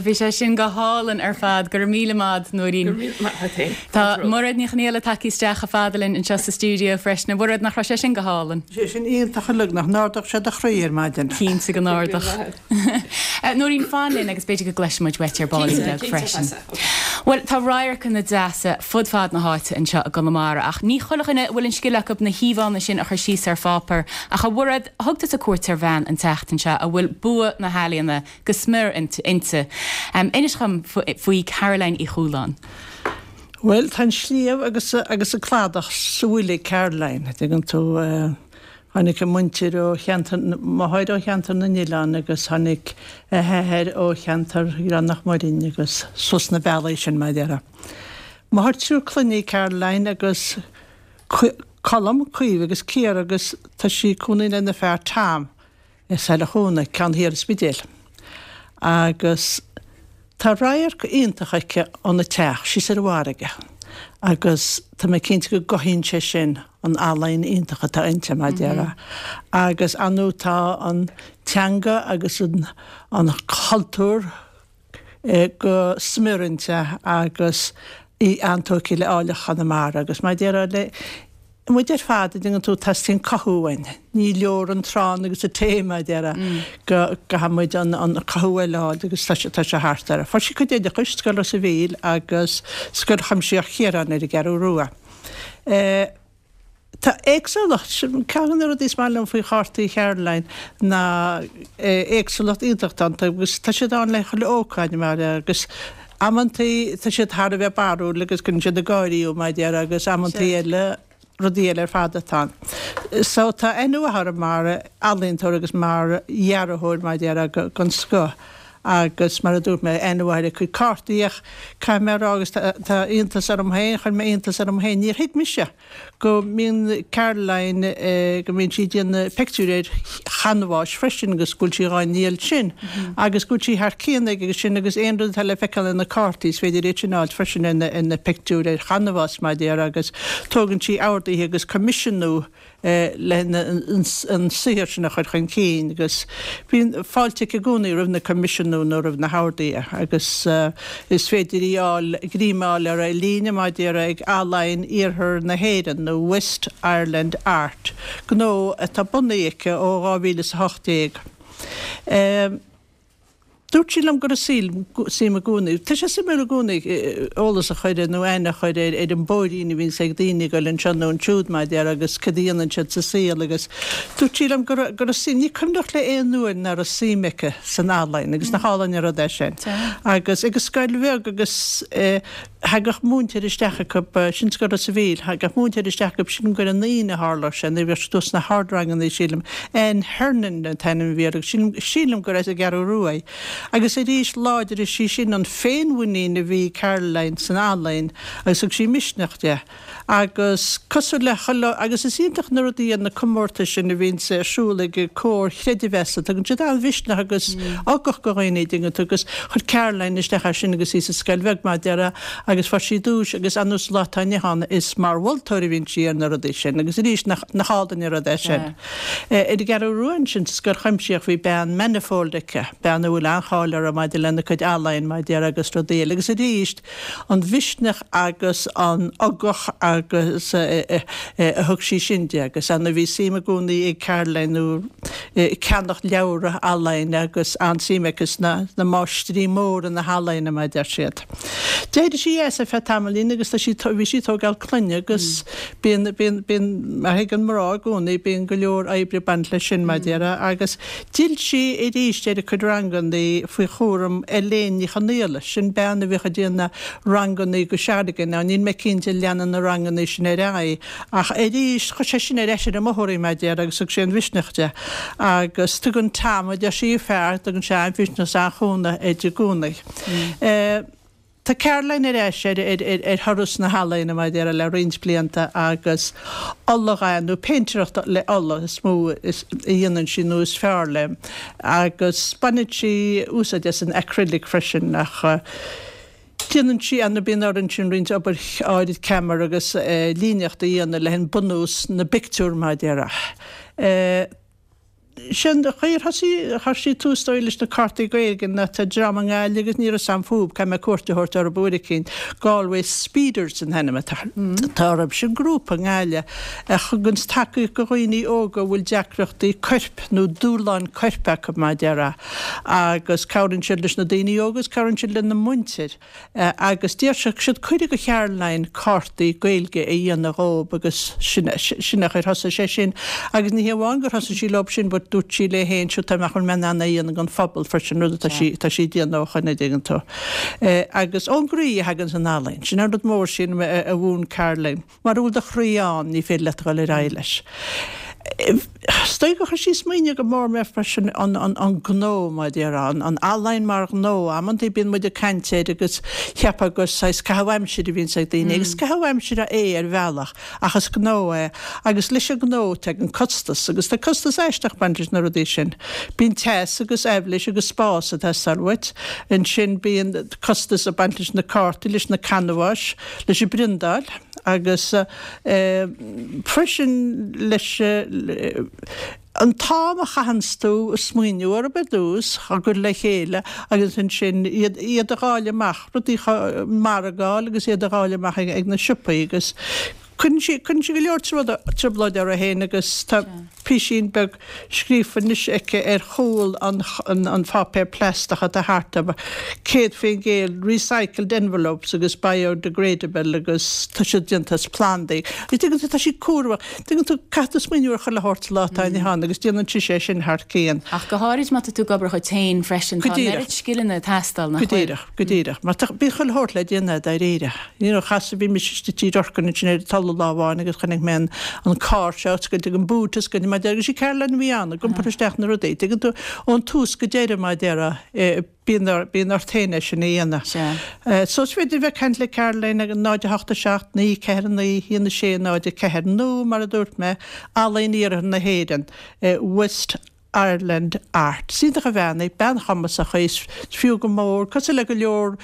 Bhí sé sin go hálainn ar fad go raibh míle maith Nóirín. Tá Mairéad Ní Chonghaile tagtha isteach chomh fada linn anseo sa stiúideo freisin, a Mhairéad nach raibh sé sin go hálainn. Sé sin iontach uilig nach n-ardódh sé do chroí ar maidin. Cinnte go n-ardódh. Nóirín fan linn agus b'fhéidir go gcloisfidh muid uait ar ball beag freisin. Bhuel, tá radharcanna deasa fud fad na háite anseo i gConamara, ach ní chuile dhuine a bhfuil an scil acu na híomhánna sin a chur síos ar pháipéar. Ach a Mhairéad, thug tusa cuairt ar bhean an tseachtain seo a bhfuil bua na healaíona go smior inti. Um, inis dom faoi Caroline Uí Chualáin. Bhuel, tá an sliabh agus agus an cladach sa fhuil ag Caroline, tuigeann tú uh, Tháinig a muintir ó cheantar máthair ó cheantar na nOileán agus tháinig a hathair ó cheantar Ghleann Mhuirinn agus suas na bealaí sin mar a déarfá. Máthair triúr clainne í Caroline agus Colm, Caoimhe agus Ciara agus tá sí ag cónaí lena fear Tom i Saile Chuana, ceann thiar an Spidéil. Agus tá radharc iontach aici óna teach síos ar an bhfarraige. Agus tá mé cinnte go gcothaíonn sé sin an ealaín iontach atá inti mar a déarfá. Agus anu tá an teanga agus an, an cultúr eh, go smior inti agus í an-tógtha le áilleacht Chonamara agus mar a déarfá le muid ar fad tuigeann tú teastaíonn cothú uainn. Ní leor an t-arán agus an tae mar a déarfá go gcaithfidh muid an an cothú eile a fháil agus tá sé tá sé thart air. Fuair sí a cuid oideachais, Scoil Ros a' Mhíl agus Scoil Chuimsitheach Chiaráin ar an gCeathrú Rua. Eh, Tá éagsúlacht, ceann de na rudaí is maith liom faoi chártaí Caroline ná éagsúlacht iontach iontu agus tá siad ann le chuile ócáid mar agus amantaí tá siad thar a bheith barrúil agus cuireann siad ag gáirí thú mar a déarfá agus amantaí eile rudaí eile ar fad atá ann. So tá aithne mhaith uirthi mar ealaíontóir agus mar dhearthóir mar a déarfá den scoth agus mar a dúirt mé aithne mhaith ar a cuid cártaí ach caithfidh mé a rá agus tá iontas orm féin, chuir mé iontas orm féin, níor thuig mise go mbíonn Caroline go mbíonn sí ag déanamh pictiúir ar chanbháis freisin agus go bhfuil sí dhá ndíol sin agus go bhfuil sí thar cionn ag agus sin agus aon rud atá le feiceáil ar na cártaí is féidir iad sin a fháilt freisin ar na pictiúir ar chanbhás mar a déarfá agus tógann sí orduithe agus coimisiúnú le an saothar sin a chur chun cinn agus bíonn fáilte aici i gcónaí roimh na coimisiúnú nó roimh na horduithe agus is féidir í a fháil, greim a fháil ar líne mar a déarfá ag Ealaín Iarthar na hÉireann nó West Ireland Art, gnó atá bunaithe aici ó dhá mhíle is a hocht déag. Dúirt sí liom go raibh suim i gcónaí. Tá sé suimiúil i gcónaí eolas a chur nó aithne a chur ar ar an bpóirín a bhíonns ag daoine ag dul anseo nó ansiúd mar a déarfá agus cad a dhéanann siad sa saol agus dúirt sí liom go raibh go raibh suim, ní cuimhneach léi aon uair nach raibh suim aici san ealaín agus nach álainn an rud é sin. Agus ag an scoil bheag agus thagadh múinteoir isteach acu, sin Scoil Ros a' Mhíl, thagadh múinteoir isteach acu, sílim gur an Aoine a tharla sé nuair a bhíodh siad thuas sna hardranganna sílim, Anne Hernon an t-ainm a bhí uirthi agus sílim, sílim gur as an gCeathrú Rua í. Agus arís láidrigh sí sin an féinmhuinín a bhí ag Caroline san ealaín agus thug sí misneach di. Agus cosúil le chuile, agus is iontach na rudaí iad na comórtais sin a bhíonns ar siúl ag comhair chreidmheasa, tugann siad an-mhisneach agus ugach do dhaoine, an dtuigeann tú, agus chuir Caroline isteach air sin agus í sa scoil bheag mar a déarfá agus fuair sí duais agus anuas an lá atá inniu ann is mar mholtóir a bhíonn sí ar na rudaí sin agus arís nach, nach álainn an rud é sin. Ar an gCeathrú Rua ansin sa scoil chuimsitheach bhí bean Manifold aici, bean a bhfuil an-cháil uirthi maidir lena cuid ealaíon mar a déarfá agus rudaí eile agus arís an mhisneach agus an ugach agus a thug sí sin di agus ana bhí suim i gcónaí ag Caroline nó ceannach leabhra ealaíne agus an-suim aici sna máistrí móra na healaíne mar a deir siad. D'éirigh sí as ar feadh tamaillín agus tá sí bhí sí ag tógáil clainne agus bíonn bíonn bíonn mar a thuigeann mná i gcónaí bíonn go leor oibre ag baint leis sin mar a déarfá agus d'fhill sí arís ar a cuid ranganna faoi chúram Elaine Ní Chonaola, sin bean a bhíodh ag déanamh ranganna go seargain. Now níl mé cinnte an leanann na ranganna sin ar aghaidh ach arís chuir sé sin ar ais ar an mbóthar í mar a déarfá agus thug sé an mhisneach di. Agus tugann Tom, a deir sí, a fear, tugann sé an-mhisneach is an-chúnamh di i gcónaí. Tá Caroline ar ais ar ar thuras na healaíne mar a déarfá le roinnt blianta agus oladhath nó péintéireacht le ola is mó a dhéanann sí nó is fearr léi agus baineann sí úsáid as an acrylic freisin ach déanann sí ana bíonn uirthi ansin roinnt obair áirid ceamair agus líníocht a dhéanamh le bunús na bpictiúr mar a déarfá. Sin an chaoi ar thosaigh, chuir sí tús dóigh leis na cártaí Gaeilge ná tá dream i nGaillimh agus ní raibh a fhios a'm fúb, caithfidh mé cuairt a thabhairt orthu uair eicínt, Galway Speeders an t-ainm atá orthu, sin grúpa i nGaillimh a thuganns tacaíocht go dhaoine óga a bhfuil deacrachtaí coirp nó dúshláin coirp acu mar a déarfá agus cabhraíonn siad leis na daoine óga agus cabhraíonn siad lena muintir. Agus d'iarr siad cuireadh go Charoline cártaí Gaeilge a dhéanamh dhób agus sin sin an chaoi ar thosaigh sé sin. Agus ní hé amháin gur thosaigh sí leob sin but dúirt sí léi féin sure tá mé chun mé in ann é a dhéanamh don phobal freisin rud atá sí atá sí ag déanamh ó shoin an dtuigeann tú. Agus ón gcroí a thaganns an ealaín. Sin an rud mór sin a mhúin Caroline. Mara bhfuil do chroí ann ní féidir leat a dhul ar aghaidh leis. Is dóigh gur chuir sí smaoineamh go mór mé freisin an an gnó mar a déarfá, an ealaín mar ghnó. Amantaí bíonn muid ag caint air agus cheapfá gur saghas caitheamh aimsire a bhíonns ag daoine agus caitheamh aimsire é ar bhealach ach is gnó é agus leis an ngnó tagann costas agus tá costas aisteach ag baint leis na rudaí sin. Bíonn teas agus aibhléis agus spás ag teastáil uait. Ansin bíonn costas ag baint leis na cártaí, leis na canbháis, leis an bpriondáil agus freisin leis an t-am a chaitheanns tú ag smaoineamh orthu ar dtús, á gcur le chéile agus ansin iad iad a dháileadh amach, rudaí a mhargáil agus iad a dháileadh amach ag na siopaí agus cuireann sí cuireann sí go leor trioblóid uirthi féin agus tá písín beag scríofa anois aici ar chúl an an pháipéir plaisteach atá thart orthu, céad faoin gcéad recycled envelopes agus biodegradable agus tá siad déanta as plandaí. Agus tuigeann tú, tá sí cúramach. Tuigeann tú, caithfidh tú smaoineamh ar chuile shórt sa lá atá inniu ann agus déanann sise é sin thar cionn. Ach go háirid má tá tú ag obair dhuit féin freisin, Go tá an díreach. oiread scileanna ag teastáil, nach Go bhfuil? díreach, go díreach. Mar tá, bíonn chuile shórt le déanamh dáiríre. You know, chas, bhí mise istigh i dTigh Lorcan ansin ar an Tulaigh lá amháin agus chonaic mé an an carr seo oscailte ag an boot oscailte mar a déarfá agus sí Caroline a bhí ann ag iompar isteach na rudaí. Tuigeann tú, ón tús go deireadh mar a déarfá, bíonn bíonn ort féin é sin a dhéanamh. Sea. So is féidir bheith ag caint le Caroline ag náid a hocht a seacht, naoi ceathair naoi, haon a sé, náid a ceathair nó mar a dúirt mé, Ealaín Iarthar na hÉireann, West Ireland Art. Is iontach an bhean í, bean chumasach í, is fiú go mór, cosúil le go leor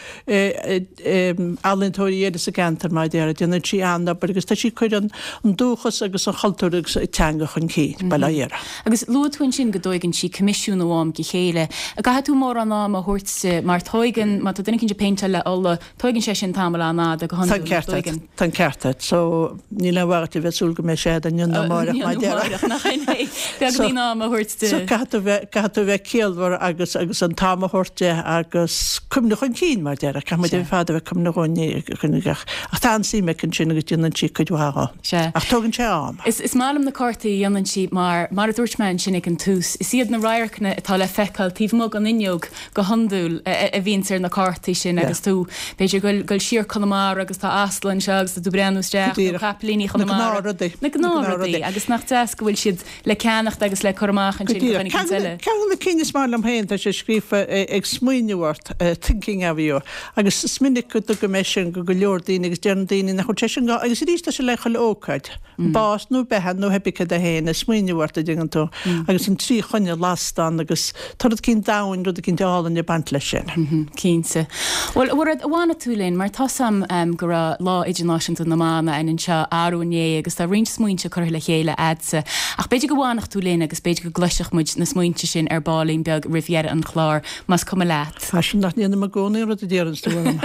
ealaíontóirí eile sa gceantar mar a déarfá, déanann sí an-obair agus tá sí ag cur an dúchas agus an chultúr agus an teanga chun cinn, bail ó Dhia uirthi. Agus luaigh tú ansin go dtóigeann sí coimisiún ó am go chéile. An gcaithfidh tú mórán ama a thabhairt di mar tóigeann, má tá duine eicínt ag péinteáil le ola, Tóigeann sé sin tamall an-fhada go Tá an hiondúil, nach ceart agat, dtóigeann? tá an ceart agat. So, níl aon mhaith agat a bheith ag súil go mbeidh sé agat inniu nó amárach, Inniu mar nó déarfá. amárach, nach in é? So, Beagáinín ama a thabhairt di. so caithfidh tú bheith, caithfidh tú bheith ciallmhar agus, agus an t-am a thabhairt di agus cuimhneamh chun cinn, mar déarfá. Caithfidh muid Sea. ar fad a bheith cuimhneamh chun, chun gach, ach tá an-suim aici ansin agus déanann sí cuid mhaith dhó. Sea. Ach tógann sé am. Is, is maith liom na cártaí a dhéanann sí mar, mar a dúirt mé ansin ag an tús, is iad na radharcanna atá le feiceáil taobh amuigh den fhuinneog go hiondúil a bhíonns ar na cártaí sin agus tú, b'fhéidir, ag goil siar Conamara agus tá asal anseo agus tá tú ag breathnú isteach nó capaillíní Chonamara. Na gnáthrudaí. Na gnáthrudaí agus nach deas go bhfuil siad le ceannacht agus le cur amach Go ansin do díreach. dhuine éicint eile. Ceann de na cinn is maith liom féin, tá sé scríofa ag smaoineamh ort, thinking of you, agus is minic go dtugaim é sin go go leor daoine agus deireann daoine nach bhfuil sé sin gá, agus arís tá sé le chuile ócáid. Bás nó beatha nó pé ar bith cad é féin, ag smaoineamh ort a dtuigeann tú, agus an trí choinneal lasta ann agus tá rud eicínt domhain, rud eicínt álainn ag baint leis sin. Cinnte. Bhuel, a Mhairéad, an bhfanfaidh tú linn, mar tá's a'm go raibh Lá Idirnáisiúnta na mBan a'inn anseo arú inné agus tá roinnt smaointe curtha le chéile a'dsa. Ach b'fhéidir go bhfanfadh tú linn agus b'fhéidir go gcloisfeadh muid na smaointe sin ar baillín beag roimh dheireadh an chláir, más cuma leat. Tá sin nach ndéanaim i gcónaí an rud a deireanns tú orm.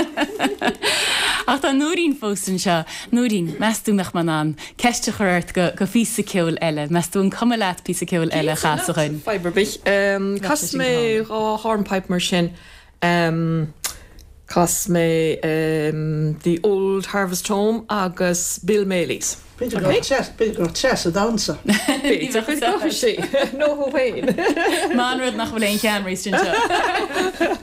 Ach tá Nóirín fós anseo. Nóirín, meas tú mbeadh mé in ann ceist a chur ort go go phíosa ceoil eile? Meas tú an cuma leat píosa ceoil eile a chasadh Cinnte, dhuinn? fadhb ar bith. Bheadh sé Casfaidh sin go mé hálainn. dhá hornpipe mar sin. Chas mé The Old Harvest Home agus Bill Maley's. B'fhéidir go raibh go raibh Treasa damhsa. B'fhéidir go raibh sí. Nó thú féin. Maith an rud nach bhfuil aon cheamaraí anseo.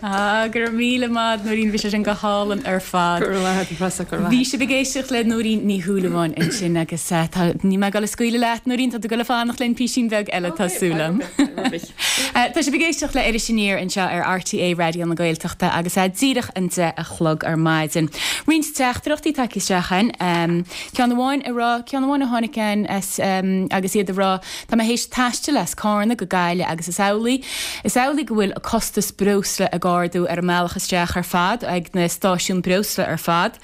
Ah, go raibh míle maith Nóirín bhí sé sin go hálainn ar fad. Bhí sibh ag éisteacht le Nóirín Ní Shúilleabháin ansin agus eh, ní mé ag scaoileadh leat Nóirín tá tú ag fanacht linn píosín beag eile tá súil agam. Eh, Tá sibh ag éisteacht le Iris Aniar anseo ar RTÉ Raidió na Gaeltachta agus é díreach an deich a chlog ar maidin. Roinnt teachtaireachtaí tagtha isteach againn um, ceann amháin a rá ceann amháin a tháinig um, agus iad a rá Tá mé théis taisteal as Carna go Gaillimh agus is amhlaidh. Is amhlaidh go bhfuil a costas breosla ag ardú ar an mbealach isteach ar fad ag na stáisiúin breosla ar fad.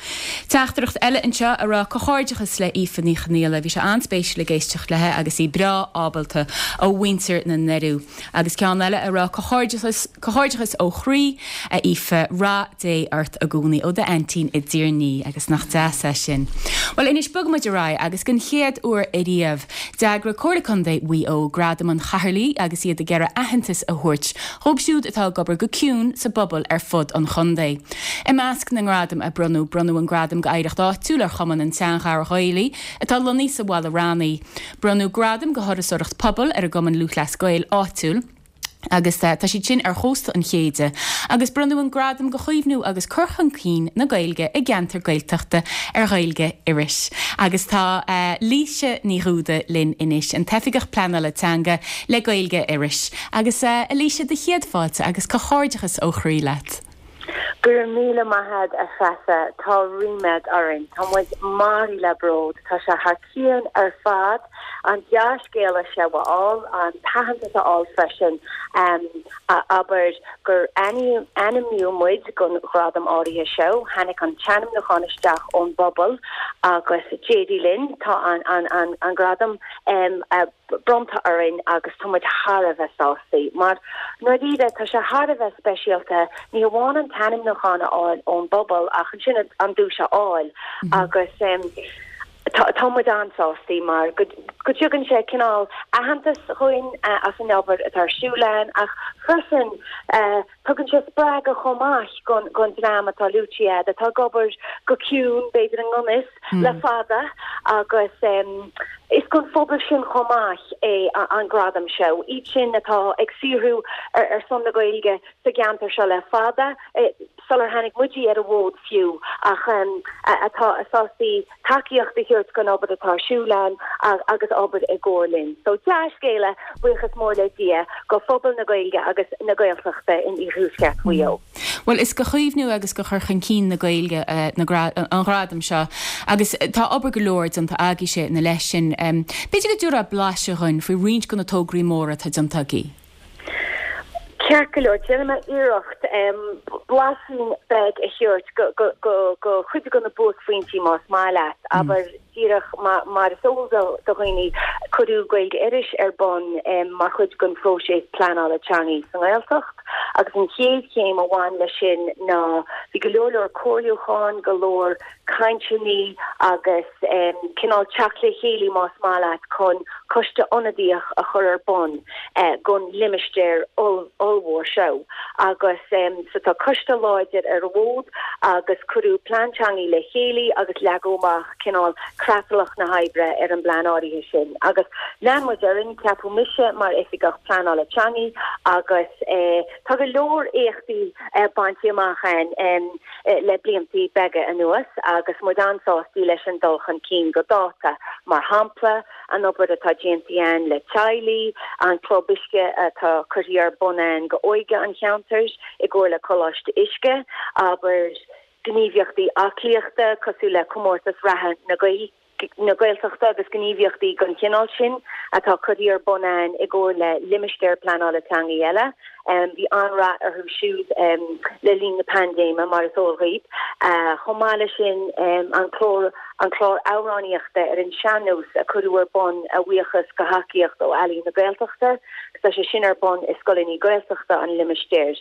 Teachtaireacht eile anseo a rá comhghairdeachas le Aoife Ní Chonghaile, bhí sé an-spéisiúil ag éisteacht léi agus í breá ábalta ó mhuintir na nDoirí. Agus ceann eile a rá comhghairdeachas comhghairdeachas ó chroí a Aoife rath Dé ort i gcónaí ó d'aintín i dTír an Fhia agus nach deas é sin. Well anois bogfaimid ar aghaidh agus den chéad uair ariamh d'eagraigh Comhairle Contae Mhaigh Eo Gradam an Chathaoirligh agus iad ag iarraidh aitheantas a thabhairt dóibh siúd atá ag obair go ciúin sa bpobal ar fud an chontae. I measc na ngradam a bronnadh bronnadh an gradam d'oidhreacht áitiúil ar Chumann an tSeanchara Ghaelaigh atá lonnaithe sa Mhala Raithní. Bronnadh gradam do thurasóireacht pobail ar an gCumann Lúthchleas Gael áitiúil. agus uh, tá siad sin ar chósta an Chéide, agus bronnadh an gradam do chaomhnú agus cur chun cinn na Gaeilge i gceantar Gaeltachta ar Ghaeilge Iorrais. Agus tá uh, Laoise Ní Dhúda linn anois an tOifigeach Pleanála Teanga le Gaeilge Iorrais. Agus uh, Laoise do chéad fáilte agus comhghairdeachas ó chroí leat. Gur míle maith a Threasa tá ríméad orainn Tá muid maraithe le bród Tá sé thar cionn ar fad an dea-scéala seo a fháil an t-aitheantas a fháil freisin um, abair gur ainmníodh muid don ghradam áirithe seo, tháinig an t-ainmniúchán isteach ón bpobal agus d'éirigh linn tá an, an, an, an gradam um, uh, bronnta orainn agus tá muid thar a bheith sásta. Mar nuair tá sé thar a bheith speisialta ní hamháin an t-ainmniúchán a fháil ón bpobal ach ansin an duais a fháil mm -hmm. agus um, Tá muid an-sásta mar go dtugann sé cineál aitheantas dúinn uh, as an obair atá ar siúl againn ach freisin uh, tugann sé spreagadh chomh maith don don dream atá luaite atá ag obair go ciúin b'fhéidir an gconas mm. le fada agus um, is don phobal sin chomh maith é an gradam seo. Iad sin atá ag saothrú ar, ar son na Gaeilge sa gceantar seo le fada eh, sular tháinig muid ar an bhfód fiú ach um, atá sásta tacaíocht a thabhairt don obair atá ar siúl againn agus obair i gcomhar linn. So dea-scéala buíochas mór le Dia do phobal na Gaeilge agus na Gaeltachta in iarthuaisceart Mhaigh Eo. Well is do chaomhnú agus do chur chun cinn na Gaeilge uh, an gradam seo agus tá obair go leor déanta agaibhse ina leith sin. Um, B'fhéidir go dtabharfá blaiseadh dúinn faoi roinnt de na tograí móra atá déanta agaibh. Ceart go leor déanfaidh mé iarracht um, blaiseadh beag a thabhairt go go go go chuid de na buaicphointí más maith leat, mm. abair díreach mar is eol do dhaoine cuireadh Gaeilge Iorrais ar bun um, mar chuid den phróiseas pleanála teanga sa nGaeltacht agus an chéad chéim a bhain leis sin ná bhí go leor leor comhairliúchán go leor cainteanna agus um, cineál teacht le chéile más maith leat chun coiste ionadaíoch a chur ar bun uh, don limistéar ollmhór seo agus um, so tá coiste láidir ar an bhfód agus cuireadh plean teanga le chéile agus leagadh amach cineál creatlach na hoibre ar an bplean áirithe sin. Agus lean muid ar aghaidh ceapadh mise mar oifigeach pleanála teanga agus eh, tá go leor éachtaí eh, bainte amach againn um, eh, le blianta beaga anuas agus muid an-sásta leis an dul chun cinn go dáta mar shampla an obair atá déanta againn le teaghlaigh an club uisce atá curtha ar bun againn d'óige an cheantair i gcomhar le Coláiste Uisce abair gníomhaíochtaí aclaíochta cosúil le comórtas reatha na Gaeilge na Gaeltachta agus gníomhaíochtaí den chineál sin atá curtha ar bun againn i gcomhar le limistéir pleanála teanga eile. Um, bhí an-rath orthu siúd um, le linn na paindéime mar is eol daoibh. Uh, chomh maith leis sin um, an clár an clár amhránaíochta ar an sean-nós a cuireadh ar bun a bhuíochas do thacaíocht ó Ealaín na Gaeltachta, tá sé sin ar bun i scoileanna Gaeltachta an limistéir.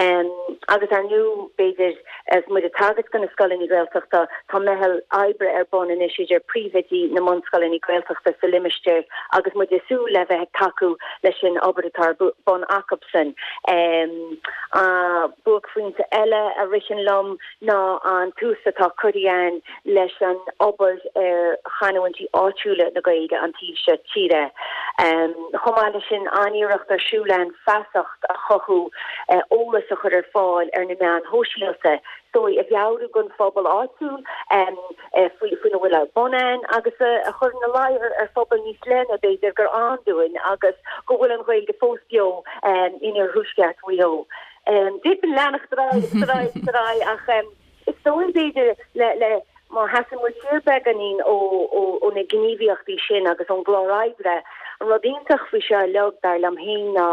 Um, agus ar ndóigh b'fhéidir as muid ag tagairt do na scoileanna Gaeltachta tá meitheal oibre ar bun anois idir príomhoidí na mbunscoileanna Gaeltachta sa limistéir agus muid ag súil le bheith tacú leis an obair atá ar bun acusan. Um, uh, Buaicphointe eile a ritheann liom ná an tús atá curtha againn leis an obair ar chanúintí áitiúla na Gaeilge an taobh seo tíre. Um, Chomh maith leis sin an iarracht ar siúl againn feasacht a chothú eolas a chur ar fáil ar na meáin shóisialta, so a mheabhrú don phobal áitiúil faoi faoina bhfuil ar bun ann agus a chur ina luí ar phobal níos leithne b'fhéidir gur ann dúinn agus go bhfuil an Ghaeilge fós beo in iarthuaisceart Mhaigh Eo. D'fhéadfainn leanacht ar aghaidh agus ar aghaidh agus ar aghaidh ach is dóigh b'fhéidir le le má sheasann muid siar beagáinín ó ó na gníomhaíochtaí sin agus ón gclár oibre, an rud iontach faoi seo uilig, dar liom féin, ná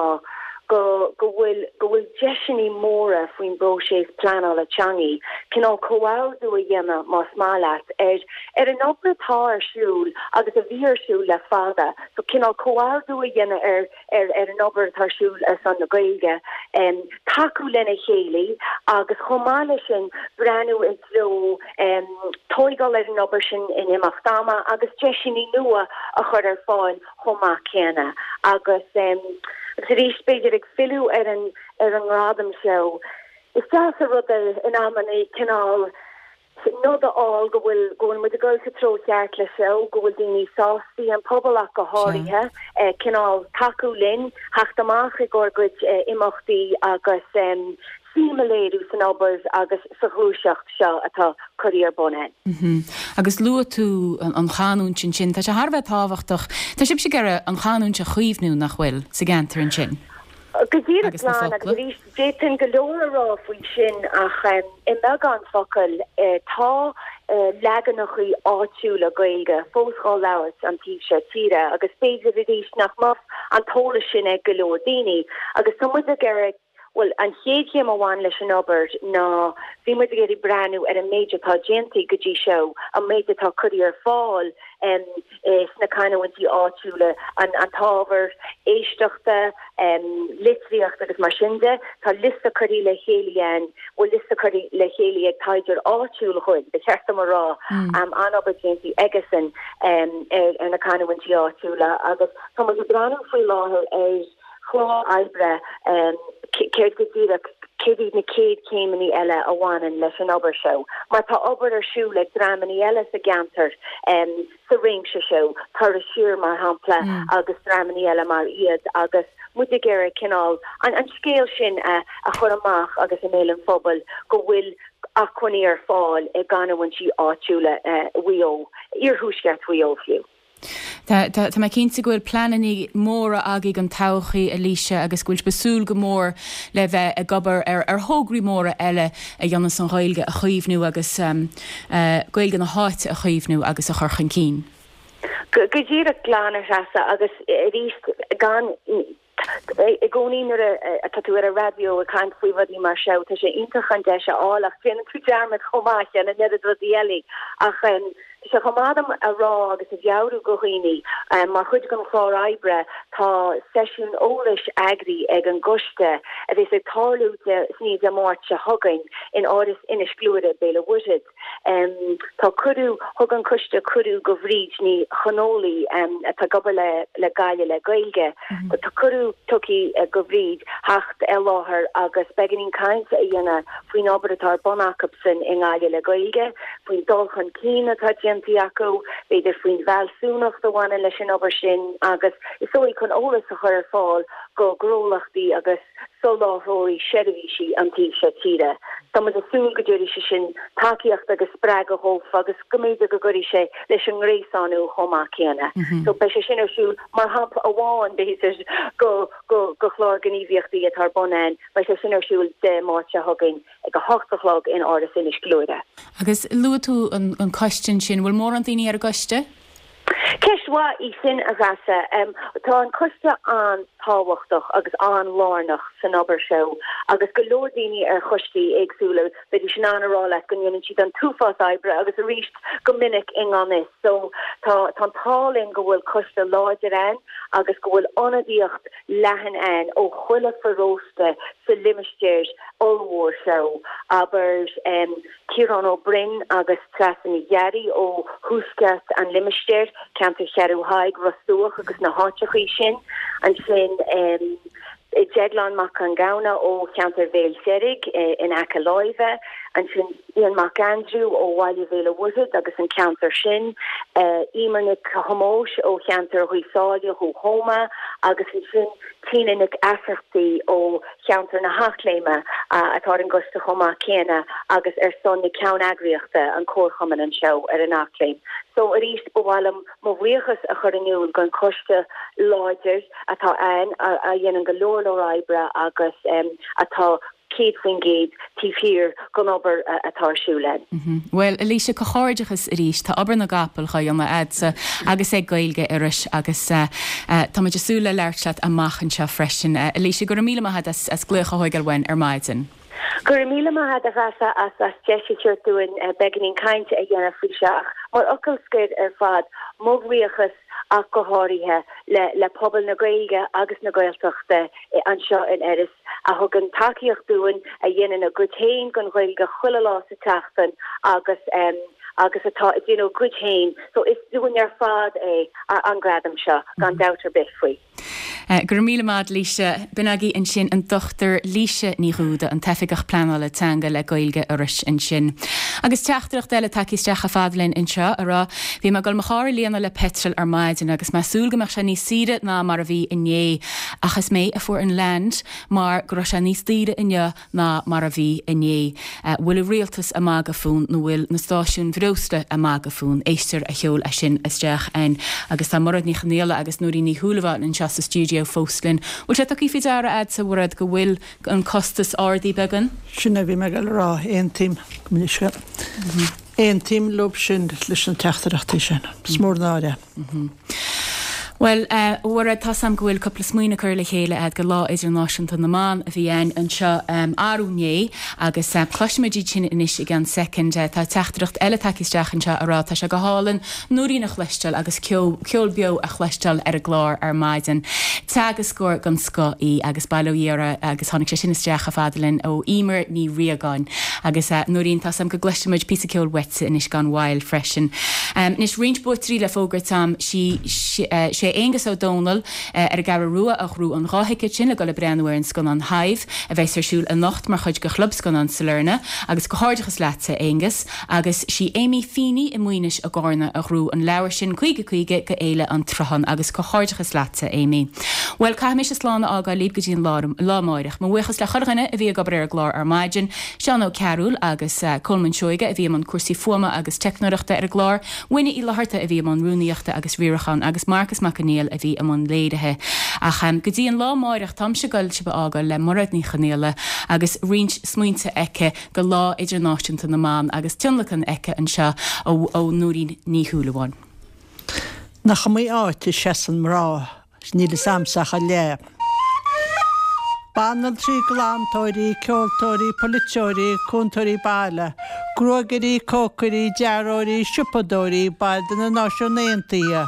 go go bhfuil go bhfuil deiseanna móra faoin bpróiseas pleanála teanga, cineál comhordú a dhéanamh, más maith leat, ar ar an obair atá ar siúl agus a bhí ar siúl le fada. So cineál comhordú a dhéanamh ar ar ar an obair atá ar siúl ar son na Gaeilge, tacú lena chéile agus chomh maith leis sin breathnú i dtreo tóigáil ar an obair sin in imeacht ama agus deiseanna nua a chur ar fáil chomh maith céanna. Agus agus arís b'fhéidir ag filleadh ar an ar an ngradam seo, is deas an rud é in amanna cineál nod a fháil go bhfuil go bhfuil muid ag dul sa treo cheart le seo, go bhfuil daoine sásta, an pobal ach go háirithe, cineál tacú linn, theacht amach i gcomhair gcuid imeachtaí agus suim a léiriú san obair agus sa ghluaiseacht seo atá curtha ar bun againn. Agus luaigh tú an chanúint ansin, tá sé thar a bheith tábhachtach. Tá sibhse ag iarraidh an chanúint a chaomhnú, nach bhfuil, sa gceantar ansin? Go díreach glan, agus arís, d'fhéadfainn go leor a rá faoi sin ach i mbeagán focal, tá leaganachaí áitiúla Gaeilge fós dhá labhairt an taobh seo tíre agus b'fhéidir arís nach mbeadh an t-eolas sin ag go leor daoine agus tá muid ag iarraidh, bhuel, an chéad chéim a bhain leis an obair ná bhí muid ag iarraidh breathnú ar an méid atá déanta go dtí seo, an méid atá curtha ar fáil sna canúintí áitiúla, an t-ábhar éisteachta, litríocht agus mar sin de. Tá liosta curtha le chéile againn, bhuel liosta curtha le chéile ag taighdeoir áitiúil dhúinn, ba cheart dom a rá, an-obair déanta aigesean ar na canúintí áitiúla agus tá muid ag breathnú faoi láthair ar chlár oibre céard go díreach, céard iad na chéad chéimeanna eile a bhaineann leis an obair seo, mar tá obair ar siúl ag dreamanna eile sa gceantar sa réimse seo, Turas Siar mar shampla agus dreamanna eile mar iad agus muid ag iarraidh cineál an scéal sin a chur amach agus i mbéal an phobail go bhfuil acmhainní ar fáil i gcanúintí áitiúla Mhaigh Eo, iarthuaisceart Mhaigh Eo fiú. Tá mé cinnte go bhfuil pleananna móra agaibh don todhchaí, Alicia, agus go bhfuil sibh ag súil go mór le bheith ag obair ar thograí móra eile a dhéanfas an Ghaeilge a chaomhnú agus Gaeilge na háite a chaomhnú agus a chur chun cinn. Go díreach glan, a Threasa, agus arís gan I gcónaí nuair atá tú ar an raidió ag caint faoi rudaí mar seo, tá sé iontach an deis a fháil ach déanann tú dearmad chomh maith ar an oiread rudaí eile. Ach tá sé chomh maith dom a rá agus a mheabhrú go dhaoine, mar chuid den chlár oibre tá seisiún eolais eagraithe ag an gcoiste a bheas ag tarlú san Dé Máirt seo chugainn in Áras Inis Gluaire, Béal an Mhuirthead. Tá cuireadh, thug an coiste cuireadh go Bhríd Ní Chonghóile atá ag obair le le Gaillimh le Gaeilge, tá cuireadh tugtha go Bhríd theacht i láthair agus beagáinín cainte a dhéanamh faoin obair atá ar bun acusan i nGaillimh le Gaeilge, faoin dul chun cinn atá déanta acu, b'fhéidir faoin bhfealsúnacht a bhaineann leis an obair sin agus is dóigh chun eolas a chur ar fáil go gnólachtaí agus soláthróirí seirbhísí an taobh seo tíre. Tá muid ag súil go dtabharfaidh sé sin tacaíocht agus spreagadh dhófa agus go mb'fhéidir go gcuirfidh sé leis an ngréasánú chomh maith céanna. So beidh sé sin ar siúl mar shampla amháin b'fhéidir go go go chlár gníomhaíochtaí atá ar bun againn. Beidh sé sin ar siúl Dé Máirt seo chugainn ag a hocht a chlog in Áras Inis Gluaire. Agus luaigh tú an an coiste ansin, bhfuil mórán daoine ar an gcoiste? Ceist mhaith í sin, a Threasa. Tá an coiste an-tábhachtach agus an-lárnach san obair seo agus go leor daoine ar choistí éagsúla, bheidís in ann a rá leat go ndéanann siad an t-uafás oibre agus arís go minic i ngan fhios. So tá an t-ádh linn go bhfuil coiste láidir ann agus go bhfuil ionadaíocht leathan ann ó chuile pharóiste sa limistéar ollmhór seo, abair Ciarán Ó Broin agus Treasa Ní Ghearraigh ó thuaisceart an limistéir, ceantar Cheathrú Thaidhg, Ros Dumhach agus na háiteachaí sin. Ansin Deaglán Mac Con Gabhna ó cheantar Bhéal Deirg in aice láimhe, ansin Ian Mac Aindriú ó Bhaile Bhéal an Mhuirthead agus an ceantar sin, Emer Nic Thomáis ó cheantar Ghaoth Sáile ó Thuama agus ansin Tina Nic Easachtaí ó cheantar na hEachléime atá ar an gcoiste chomh maith céanna agus ar son na ceanneagraíochta an Comharchumann anseo ar an Eachléim. So arís ba mhaith liom mo bhuíochas a chur in iúl don choiste láidir atá ann a dhéanann go leor leor oibre agus atá céad faoin gcéad taobh thiar den obair atá ar siúl ann. Bhuel, a Laoise, comhghairdeachas arís, tá obair na gcapall á dhéanamh a'dsa agus ag Gaeilge Iorrais agus tá muid ag súil le labhairt leat amach anseo freisin. A Laoise, go raibh míle maith agat as glaoch a thógáil uainn ar maidin. Go raibh míle maith agat a Threasa as as deis a thabhairt dúinn beagáinín cainte a dhéanamh faoi seo ach mar fhocal scoir ar fad, mo bhuíochas ach go háirithe le le pobal na Gaeilge agus na Gaeltachta anseo in Iorras a thugann tacaíocht dúinn, a dhéanann a gcuid féin don Ghaeilge chuile lá sa tseachtain agus agus atá ag déanamh a gcuid féin. So is dúinn ar fad é an gradam seo, gan dabht ar bith faoi. Go raibh míle maith, Laoise. B'in agaibh ansin an Dochtúir Laoise Ní Dhúda, an tOifigeach Pleanála Teanga le Gaeilge Iorrais ansin. Agus teachtaireacht eile tagtha isteach chomh fada linn anseo a rá, Bhí mé ag dul mo charr a líonadh le peitreal ar maidin agus mé ag súil go mbeadh sé níos saoire ná mar a bhí inné. Ach is mé a fuair an land mar go raibh sé níos daoire inniu ná mar a bhí inné. Bhfuil an rialtas ag magadh fúinn nó bhfuil na stáisiúin bhreosla ag magadh fúinn? Éisteoir a sheol é sin isteach againn. Agus tá Mairéad Ní Chonaola agus Nóirín Ní Shúilleabháin anseo sa stiúideo fós linn. Bhfuil sé tugtha faoi deara a'dsa, a Mhairéad, go bhfuil an costas ardaithe beagán? Sin a bhí mé ag dul a rá, aontaím, go minic. Aontaím leo sin leis na teachtaireachtaí sin. Is mór an náire. Bhuel, a Mhairéad, tá 's a'm go bhfuil cúpla smaoineamh curtha le chéile a'd go Lá Idirnáisiúnta na mBan a bhí ann anseo arú inné agus cloisfimid iad sin anois i gceann soicind. Tá teachtaireacht eile tagtha isteach anseo a rá tá sé go hálainn Nóirín a chloisteáil agus ceol ceol beo a chloisteáil ar an gclár ar maidin. Teagascóir den scoth í agus bail ó Dhia uirthi agus tháinig sé sin isteach chomh fada linn ó Emer Ní Riagáin. Agus Nóirín, tá 's a'm go gcloisfimid píosa ceoil uaitse anois gan mhoill freisin. Anois roinnt buaiteoirí le fógairt a'm sí sé Aonghus Ó Dónaill ar an gCeathrú Rua a ghnóthaigh an dhá thicéad sin le dul ag breathnú ar an scannán Hive a bheas ar siúl anocht mar chuid de Chlub Scannán Sailearna agus comhghairdeachas leatsa Aonghus agus sí Amy Feeney i Maínis i gCarna a ghnóthaigh an leabhar sin caoga caoga go Fhéile an tSrutháin agus comhghairdeachas leatsa Amy. Bhuel caithfidh mise slán a fhágáil libh go dtí an lá lá amáireach. Mo bhuíochas le chuile dhuine a bhí ag obair ar an gclár ar maidin, Seán Ó Cearúil agus Colman Seoige a bhí i mbun cúrsaí fuaime agus teicneoireachta ar an gclár, Winnie Uí Fhlatharta a bhí i mbun rúnaíochta agus riaracháin agus Marcus Mac Conghail a bhí i mbun léirithe. Ach go dtí an lá amáireach táimse ag dul sibh a fhágáil le Mairéad Ní Chonaola agus roinnt smaointe aici go Lá Idirnáisiúnta na mBan agus tionlacan aici anseo ó ó Nóirín Ní Shúilleabháin. Nach iomaí áit a seasann mná, níl fhios a'msa ach a leath. Banaltraí, glantóirí, ceoltóirí, polaiteoirí, cúntóirí baile, gruagairí, cócairí, dearthóirí, siopadóirí, baill de na Náisiúin Aontaithe,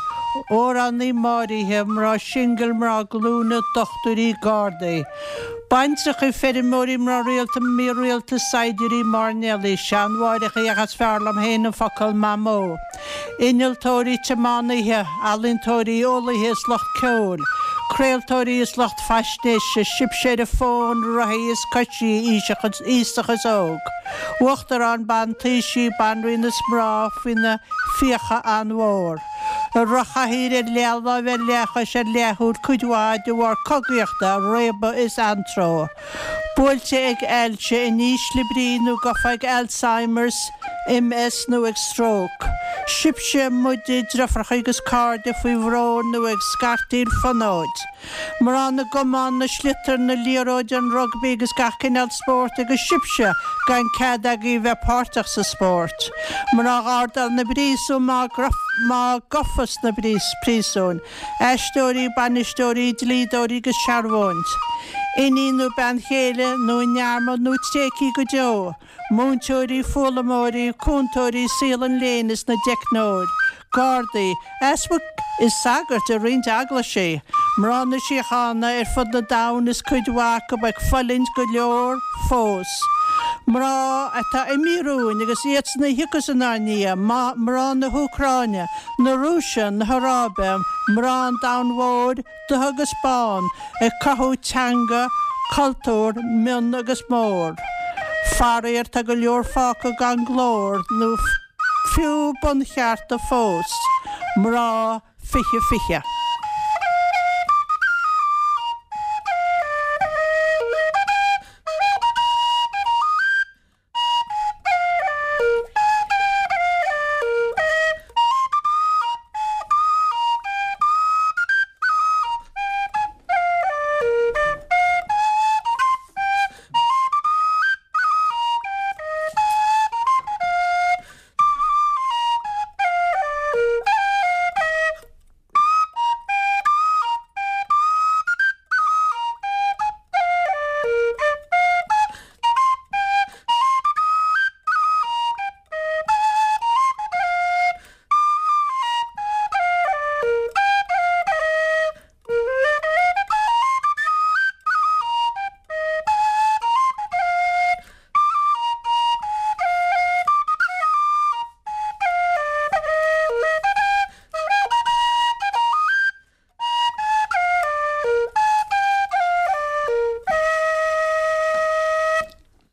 amhránaí, máithreacha, mná singil, mná glúine, dochtúirí, gardaí, baintreacha, feirmeoirí, mná rialta, mírialta, saighdiúirí, mairnéalaigh, seanmháithreacha ach is fearr liom féin an focal mamó, innealtóirí, tiománaithe, ealaíontóirí, eolaithe is lucht ceoil, craoltóirí is lucht faisnéise, sibséire fóin, rothaí is coisí, aosach is óg, uachtarán, ban taoisigh, banríon is mná faoina fiacha an-mhór, i rothchathaoir, ar leathláimh, ar leathchois, ar leathshúil, cuid mhaith de bharr cogaíochta, réabadh is anró. Buailte ag ailse, in ísle brí nó gafa ag Alzheimer's, MS nó ag stróc. Sibhse, muide, deirfiúracha agus cairde faoi bhrón nó ag scartaíl fonóid. Mná na gcamán, na sliotar, na liathróide, an rugbaí agus gach cineál spóirt agus sibhse gan cead agaibh bheith páirteach sa spórt. Mná ghardáil na bpríosún mná mná gafa sna príosúin, aisteoirí, bainisteoirí, dlíodóirí agus searbhóint. Iníon nó bean chéile nó i ndearmad nó tréigthe go deo. Múinteoirí, foghlaimeoirí, cúntóirí, saol an léinn is na dteicneoir, gardaí, easpaig is sagairt i roinnt eaglaisí, mná na síochána ar fud na domhain is cuid mhaith acu ag fulaingt go leor fós. Mná atá imithe romhainn agus iadsan a thiocfas inár ndiaidh, mná na hÚcráine, na Rúise, na hAráibe, mná an domhain mhóir, dubh agus bán, ag cothú teanga, cultúr, mion agus mór. Faraor tá go leor fágtha gan glór nó fiú bunchearta fós. Mná fiche fiche.